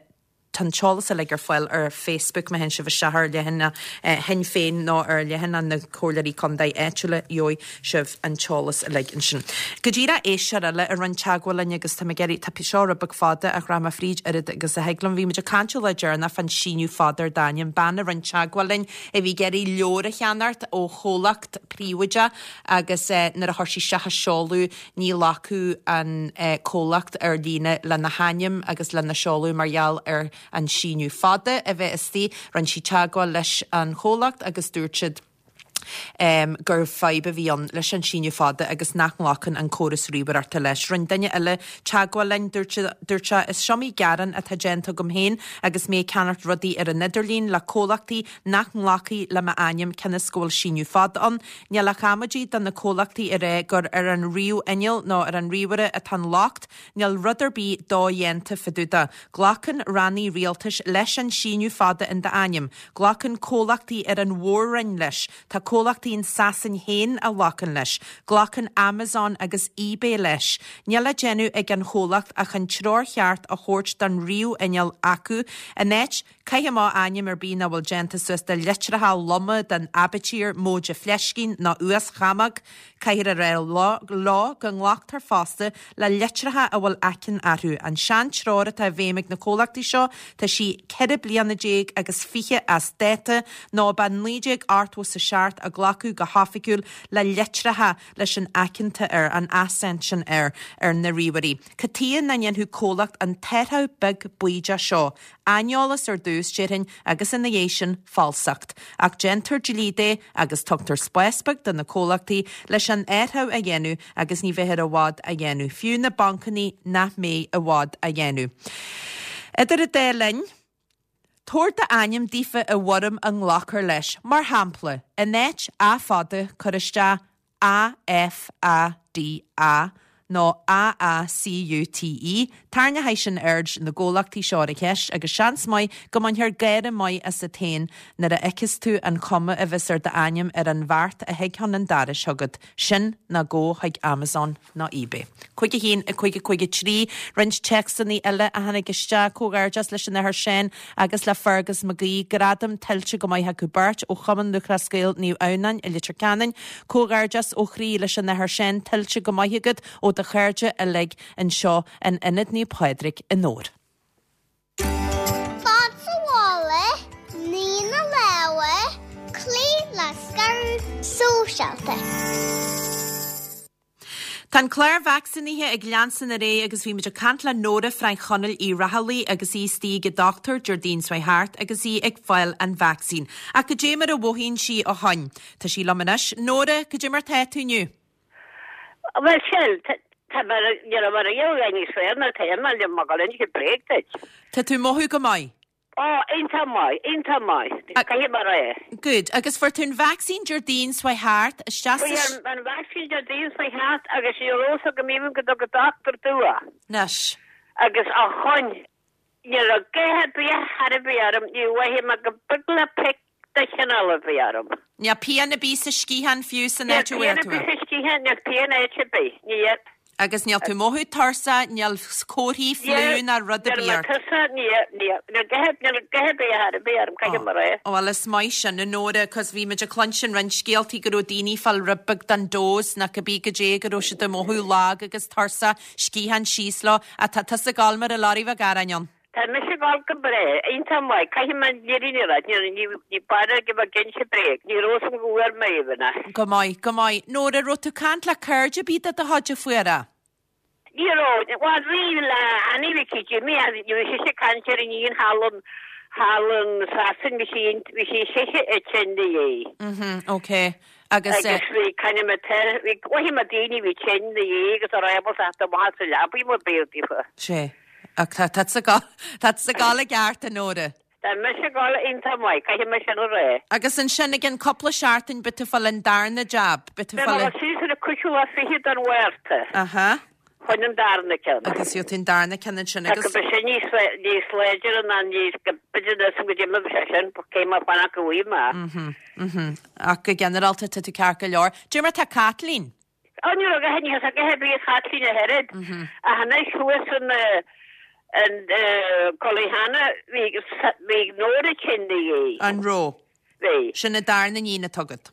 tá an t-eolas uilig ar fáil ar Facebook má théann sibh isteach ar leathanach Shinn Féin nó ar leathanach na Comhairleoirí Contae áitiúla gheobhaidh sibh an t-eolas uilig ansin. Go díreach éisteoir eile a rinne teagmháil linn agus tá mé ag iarraidh tá seo rud beag fada ach rachaidh mé fríd oiread agus a thig liom. Bhí muid ag caint an lá deireanach fán síneadh fada ar d'ainm, bean a rinne teagmháil linn a bhí ag iarraidh leabhar a cheannacht ó chomhlacht príobháideach agus nuair a chuir sí isteach a seoladh ní ghlacfadh an comhlacht ar líne lena hainm agus lena seoladh mar gheall ar an síneadh fada a bheith istigh. Rinne sí teagmháil leis an chomhlacht agus dúirt siad um, gur fadhb a bhí ann leis an síneadh fada agus nach nglacann an córas ríomhaireachta leis. Rinne duine eile teagmháil linn dúirt dúirt sé is iomaí gearán atá déanta agam féin agus mé ag ceannacht rudaí ar an idirlíon le comhlachtaí nach nglacfaidh le m'ainm cionn is go bhfuil síneadh fada ann. Níl ach amaidí do na comhlachtaí a rá gur ar an ríomhinneall nó ar an ríomhaire atá an locht, níl rud ar bith dodhéanta fá dtaobh de. Glacann rannaí rialtais leis an síneadh fada in d'ainm. Glacann comhlachtaí ar an mhór-roinn leis. Tá comhlachtaí in Sasain féin a ghlacann leis. Glacann Amazon agus eBay leis. Níl le déanamh ag an chomhlacht ach an treoir cheart a thabhairt don ríomhinneall acu. In áit caith amach ainm ar bith nach bhfuil déanta suas de litreacha loma den aibitír móide fleiscín nó uaschamóg, caithfear a rá leo go nglactar fosta le litreacha a bhfuil aiceann orthu. An sean-treoir atá i bhfeidhm ag na comhlachtaí seo, tá sí ceithre bliana déag agus fiche as dáta nó ba naoi déag ochtó is a seacht a glacadh go hoifigiúil le litreacha leis an aiceanta air, an accent sin air, ar na ríomhairí. Cad chuige nach ndéanfadh comhlacht an t-athrú beag baoideach seo? Aineolas ar dtús, déarfainn, agus ina dhiaidh sin, falsacht. Ach déantar dlí de agus tugtar spás beag do na comhlachtaí leis an athrú a dhéanamh agus ní bheifear i bhfad á dhéanamh. Fiú na bancanna nach mbeidh i bhfad á dhéanamh. Idir an dá linn, tabhair d'ainm daofa i bhfoirm a nglacfar leis. Mar shampla, in áit A fada, cuir isteach A F A D A nó A A C U T E. Tarraingeoidh sin aird na gcomhlachtaí seo ar an cheist agus seans maith go mbainfear gáire maith asat féin nuair a fheiceas tú an chuma a bheas ar d'ainm ar an bheart a thig chun an dorais chugat. Sin nó gabh chuig Amazon nó eBay. Cúig a haon a cúig a cúig a trí roinnt téacsanna eile a tháinig isteach comhghairdeas leis an Athair Seán agus le Fergus Mac Aoidh gradam tuillte go maith acu beirt ó Chumann Lúthchleas Gael Naomh Adhamhnáin i Leitir Ceanainn, comhghairdeas ó chroí leis an Athair Seán tuillte go maith agat ó do chairde uilig anseo in Ionad Naomh Pádraig i nDobhar. Fan sa bhaile, nigh na lámha, cloígh le scaradh sóisialta. Tá an clár vacsaínithe ag leanstan ar aghaidh agus bhí muid ag caint le Nóra Frainc Chonaill Uí Raghallaigh agus í istigh ag an dochtúir Déardaoin seo thart agus í ag fáil an vacsaín. Ach cad é mar a mhothaíonn sí ó shin. Tá sí liom anois. Nóra, cad é mar tá tú inniu? Bhuel sin, tá mar ní raibh mar a gheobhaidh níos fearr ná tá mé le mo ghoil go bréag duit. Tá tú mothú go maith? Ó, iontach maith, iontach maith. Caithfidh mar é. Good. Agus fuair tú an vacsaín Déardaoin seo thart isteach sa... Fuair an vacsaín Déardaoin seo thart agus ní raibh fhios agam even go dtug an dochtúir dua. Anois. Agus a chon ní raibh gaoth ar bith thar a bith orm, ní mhothaigh mé go beag le pic de chineál a bhí orm. Níl pian ar bith sa sciathán fiú san Níl áit a bhfuair pian ar tú bith é. sa sciathán, níl pian áit ar bith, níl. Agus níl tú mothú tuirseach, níl comharthaí fliú ná rud ar Níl bith mé ort. tuirseach, níl, níl, níl gaoth, níl gaoth ar bith thar a bith orm, caithfidh mar é. Bhuel is maith sin a Nóra, cos bhí muid ag cluinstin roinnt scéaltaí go raibh daoine ag fáil rud beag den dose nach cibé goidé go raibh siad ag mothú lag agus tuirseach, sciathán síos leo, ach tá tusa ag gabháil mar a lorry bheadh aráin ann. Tá mise ag gabháil go breá, iontach maith, caithfidh mé an fhírinne a rá, ní, ní, ní b'fhearr go mbeadh inse bréag, ní raibh fhios agam go bhfuair mé even é. Go maith, go maith. Nóra, raibh tú ag caint le cairde ar bith de do chuid a fuair é? Ní raibh, bhuel bhí le Annie Mhicí Jimmy, ní raibh sise ag caint ar an iníon thall in, Thall in Sasain bhí sí bhí sí sise i tinn na dhiaidh. Mhm, ok. Agus eh. Agus bhí kind of mater bhí mhothaigh mé daoine bhí tinn na dhiaidh agus a raibh ábalta teacht amach as an leabaidh mar b'fhéidir daofa. Sé. Ach tá tá tusa ag gabháil tá tusa ag gabháil i gceart a Nóra. Tá mise ag gabháil iontach maith, caithfidh mé sin a rá. Agus ansin i gcionn cúpla seachtain beidh tú ag fáil an darna jab, beidh tú Beidh fáil mé an. suas ar an cúigiú lá fichead den Mhárta. Aha. Chun an darna ceann. Agus gheobhaidh tú an darna ceann ansin Tá go agus. mbeidh sin níos níos láidre ná níos go b'fhéidir níos go dtí mbeidh sé sin cé mar fanacht go bhfaighidh mé. Mhm, mhm. Ach go ginearálta tá tú ceart go leor. Cad é mar tá Caitlín? Ó ní raibh a ní a bhí Caitlín a oiread. Ach anois thuas in in Cullyhanna bhí bhí Nóra tinn ina dhiaidh. An raibh? Bhí. Sin an darna iníon atá agat.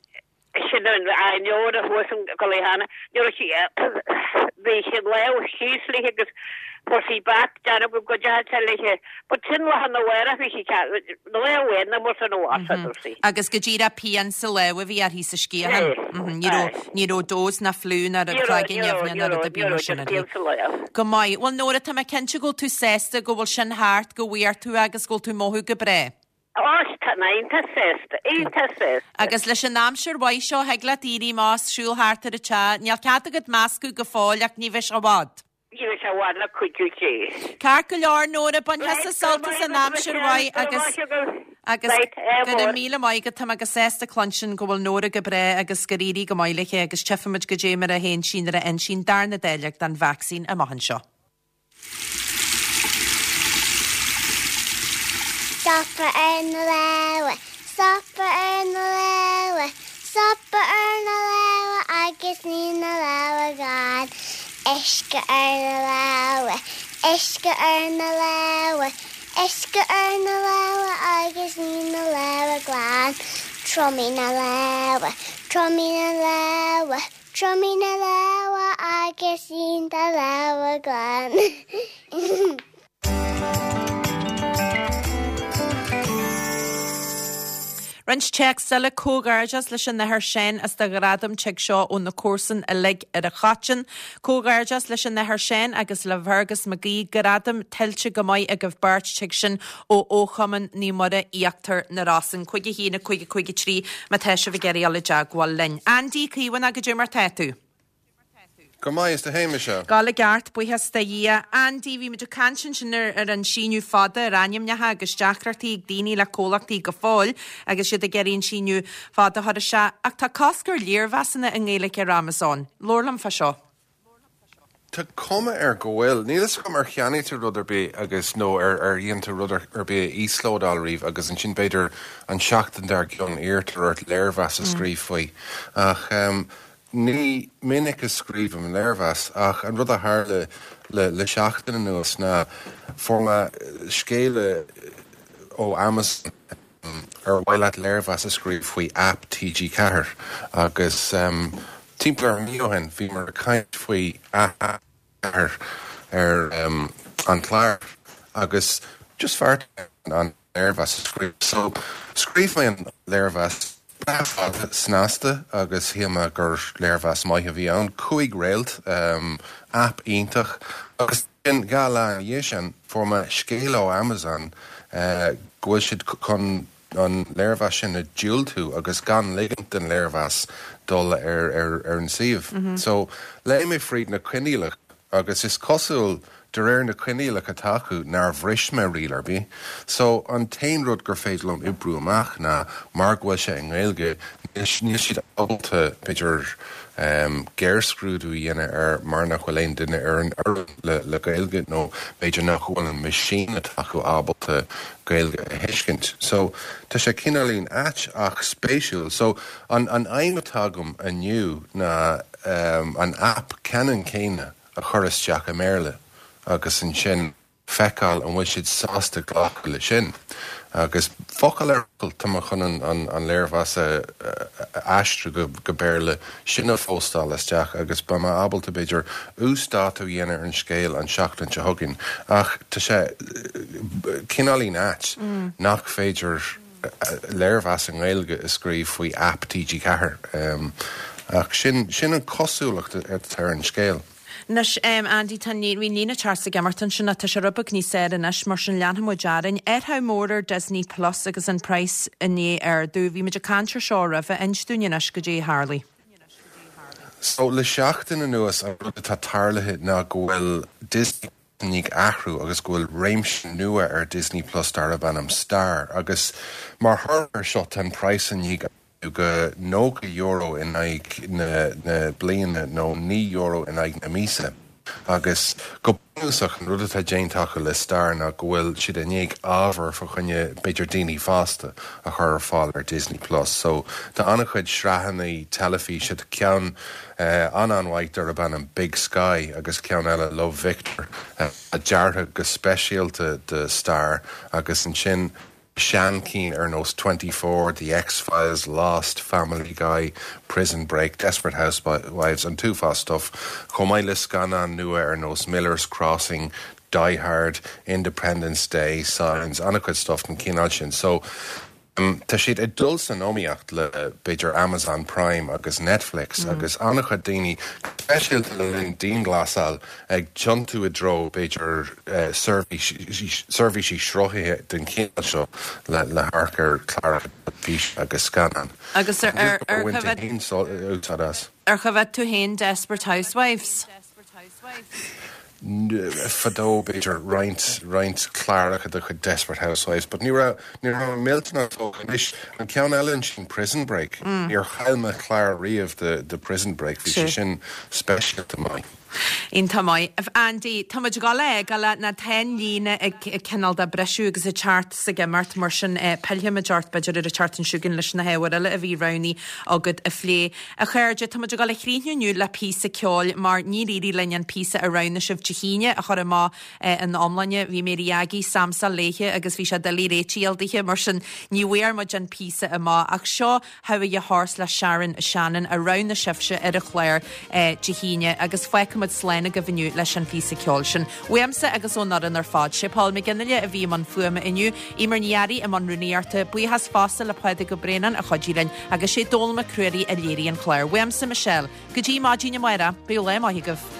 Sin an Nóra thuas in Cullyhanna. Ní raibh sí bhí sí lámh síos léi agus fuair sí bat dearg go deas léi. But sin lá na bhfuair bhí sí lá amháin na mar san áit a dúirt sí. Agus go díreach pian sa lámh a bhí uirthi sa sciathán. Aye. Ní raibh ní raibh dós ná fliú ná rud Ní raibh, cloigne ní raibh, neamhní ní ná rud raibh, ar ní bith mar raibh, sin just uirthi. pian sa lámh. Go maith. Bhuel Nóra tá mé cinnte go bhfuil tú sásta go bhfuil sin thart, go bhfuair tú agus go bhfuil tú ag mothú go breá. Ó, tá mé iontach sásta, iontach sásta. Agus leis an aimsir mhaith seo thig leat éirí amach is siúl thart ar an teach, níl cead agat meascadh go fóill ach ní bheidh sé i bhfad. Ní bheidh sé i bhfad le cuidiú Dé. Ceart go leor Nóra, bain tusa sult as an aimsir mhaith agus agus go raibh míle maith agat, tá mé go sásta cluinstin go bhfuil Nóra go breá agus gur éirigh go maith léi agus tchífimid goidé mar a théann sí nuair a fhaigheann sí an darna dáileog den vacsaín amach anseo. Stopadh ar na lámha, stopadh ar na lámha, stopadh ar na lámha agus ní na lámha glan. Uisce ar na lámha, uisce ar na lámha, uisce ar na lámha agus ní na lámha glan. Triomaigh na lámha, triomaigh na lámha, triomaigh na lámha agus ní na lámha glan. Roinnt téacs eile comhghairdeas leis an Athair Seán as do ghradam tigh seo ó na comharsain uilig ar a choiteann. Comhghairdeas leis an Athair Seán agus le Fergus McGee gradam tuillte go maith agaibh beirt tigh sin ó Chumann Naomh Muire Íochtar na Rosann. Cúig a haon a cúig a cúig a trí má tá sibh ag iarraidh dul i dteagmháil linn. Andy Caomhánach goidé mar tá tú. Go maith is tú fhéin Michelle. Ag gabháil i gceart, buíochas do Dhia. Andy, bhí muid ag caint ansin ar, ar an síneadh fada ar ainmneacha agus deacrachtaí ag daoine le comhlachtaí go fóill agus iad ag iarraidh an síneadh fada a chur isteach. Ach tá cosc ar léirmheasanna i nGaeilge ar Amazon. Labhair liom fá seo. Tá cuma air go bhfuil. Níl fhios agam ar cheannaigh tú rud ar bith agus nó ar ar dhein tú rud ar bith a íoslódáil riamh agus ansin b'fhéidir an seachtain dár gcionn iarrtar ort léirmheas a scríobh faoi. Ach um, ní minic a scríobhaim léirmheas ach an rud a tharla le le seachtain anuas ná fuair mé scéala ó Amazon ar mhaith leat léirmheas a scríobh faoi app T G ceathair agus um, timpeall ar mhí ó shin bhíomar ag caint faoi app ceathair ar um, an chlár agus just bheartaigh an léirmheas a scríobh. So scríobh mé an léirmheas breá fada snasta agus shíl mé gur léirmheas maith a bhí ann, cúig réalt, um, app iontach agus sin dhá lá ina dhiaidh sin fuair mé scéala ó Amazon uh, go bhfuil siad chun an léirmheas sin a diúltú agus gan ligint don léirmheas dul ar, ar, ar an suíomh. Mm -hmm. So léigh mé fríd na coinníollacha agus is cosúil de réir na coinníollacha atá acu nár bhris mé riail ar bith. So an t-aon rud gur féidir liom oibriú amach ná mar go bhfuil sé i nGaeilge, níl siad ábalta b'fhéidir um, géarscrúdú a dhéanamh air mar nach bhfuil aon duine ar an fhoireann le, le Gaeilge nó b'fhéidir nach bhfuil an machine atá acu ábalta Gaeilge a thuiscint. So tá sé cineáilín ait ach spéisiúil. So an, an aidhm atá agam inniu ná um, an app ceannann céanna a chur isteach i mBéarla agus ansin feiceáil an bhfuil siad sásta glacadh le sin. Agus focal ar fhocal tá mé chun an, an, an léirmheas a, a aistriú go, go Béarla sin a phóstáil isteach agus beidh mé ábalta b'fhéidir uasdátú a dhéanamh ar an scéal an seachtain seo chugainn. Ach tá sé cineáilín ait Mm. nach féidir léirmheas i nGaeilge a scríobh faoi app T G ceathair. Um, ach sin, sin an cosúlacht atá ar an scéal. Anois, Andy, tá an bhí an líne Charles ag imeacht ansin ach tá sé rud beag níos fearr anois, mar sin leanfaidh muid orainn. Athrú mór ar Disney Plus agus an praghas i ndiaidh ardú. Bhí muid ag caint ar seo roimhe, inis dúinn anois goidé a tharlaigh. So le seachtain anuas an rud atá tarlaithe ná go bhfuil Disney i ndiaidh athrú agus go bhfuil réimse nua ar Disney Plus darb ainm Star agus mar thoradh air seo tá an praghas i ndiaidh ardú go nócha euro in aghaidh na na bliana nó naoi euro in aghaidh na míosa. Agus go bunúsach an rud atá déanta acu le Star ná go bhfuil siad i ndiaidh ábhar fá choinne b'fhéidir daoine fásta a chur ar fáil ar Disney Plus. So tá an-chuid sraitheanna teilifíse tá ceann an-an-mhaith darb ainm Big Sky agus ceann eile Love Victor a deartha go speisialta do Star agus ansin seanchinn ar nós Twenty Four, The X-Files, Lost, Family Guy, Prison Break, Desperate Housewives, an t-uafás stuff, chomh maith le scannáin nua ar nós Miller's Crossing, Die Hard, Independence Day, Signs, an-chuid stuff den chineál sin. So um, tá siad ag dul san iomaíocht le b'fhéidir Amazon Prime agus Netflix mm. agus an-chuid daoine speisialta le linn dianghlasáil ag tiontú i dtreo b'fhéidir uh, seirbhísí sruthaithe den chineál seo le le hamharc ar chláracha teilifíse agus scannán. Agus ar ar ar ar choimhéad tú féin Desperate Housewives? Fadó b'fhéidir roinnt roinnt cláracha de chuid Desperate Housewives, but ní raibh ní raibh millteanach tógtha anois an ceann eile sin Prison Break. Mm. Níor chaill mé clár riamh de de Prison Break, bhí sé sin speisialta maith. Iontach maith. Andy, tá muid ag dul a fhágáil ná tá an líne ag cineál de briseadh agus ag teacht is ag imeacht mar sin pillfimid ort b'fhéidir ar an tseachtain seo chugainn leis na hábhair eile a bhí roghnaithe agat a phlé. A chairde, tá muid ag dul a chríochnú inniu le píosa ceoil mar níor éirigh linn an píosa a roghnaigh sibh Dé hAoine a chur amach ina iomláine. Bhí Mary Aggie samsa léithe agus bhí sé doiligh réitigh daoithe mar sin ní bhfuair muid an píosa amach ach seo How Are Ya Horse le Sharon Shannon a roghnaigh sibhse ar an chlár Dé hAoine agus fágfaimid slán agaibh inniu leis an phíosa ceoil sin. Uaimse agus ón fhoireann ar fad sé Paul McGinley a bhí i mbun fuaime inniu, Emer Ní Fhearraigh i mbun rúnaíochta, buíochas fosta le Pádraig Ó Braonáin a chuidigh linn agus sé Dónal Mac Ruairí a léirigh an clár. Uaimse Michelle, go dtí maidin amárach, bíodh lá maith agaibh.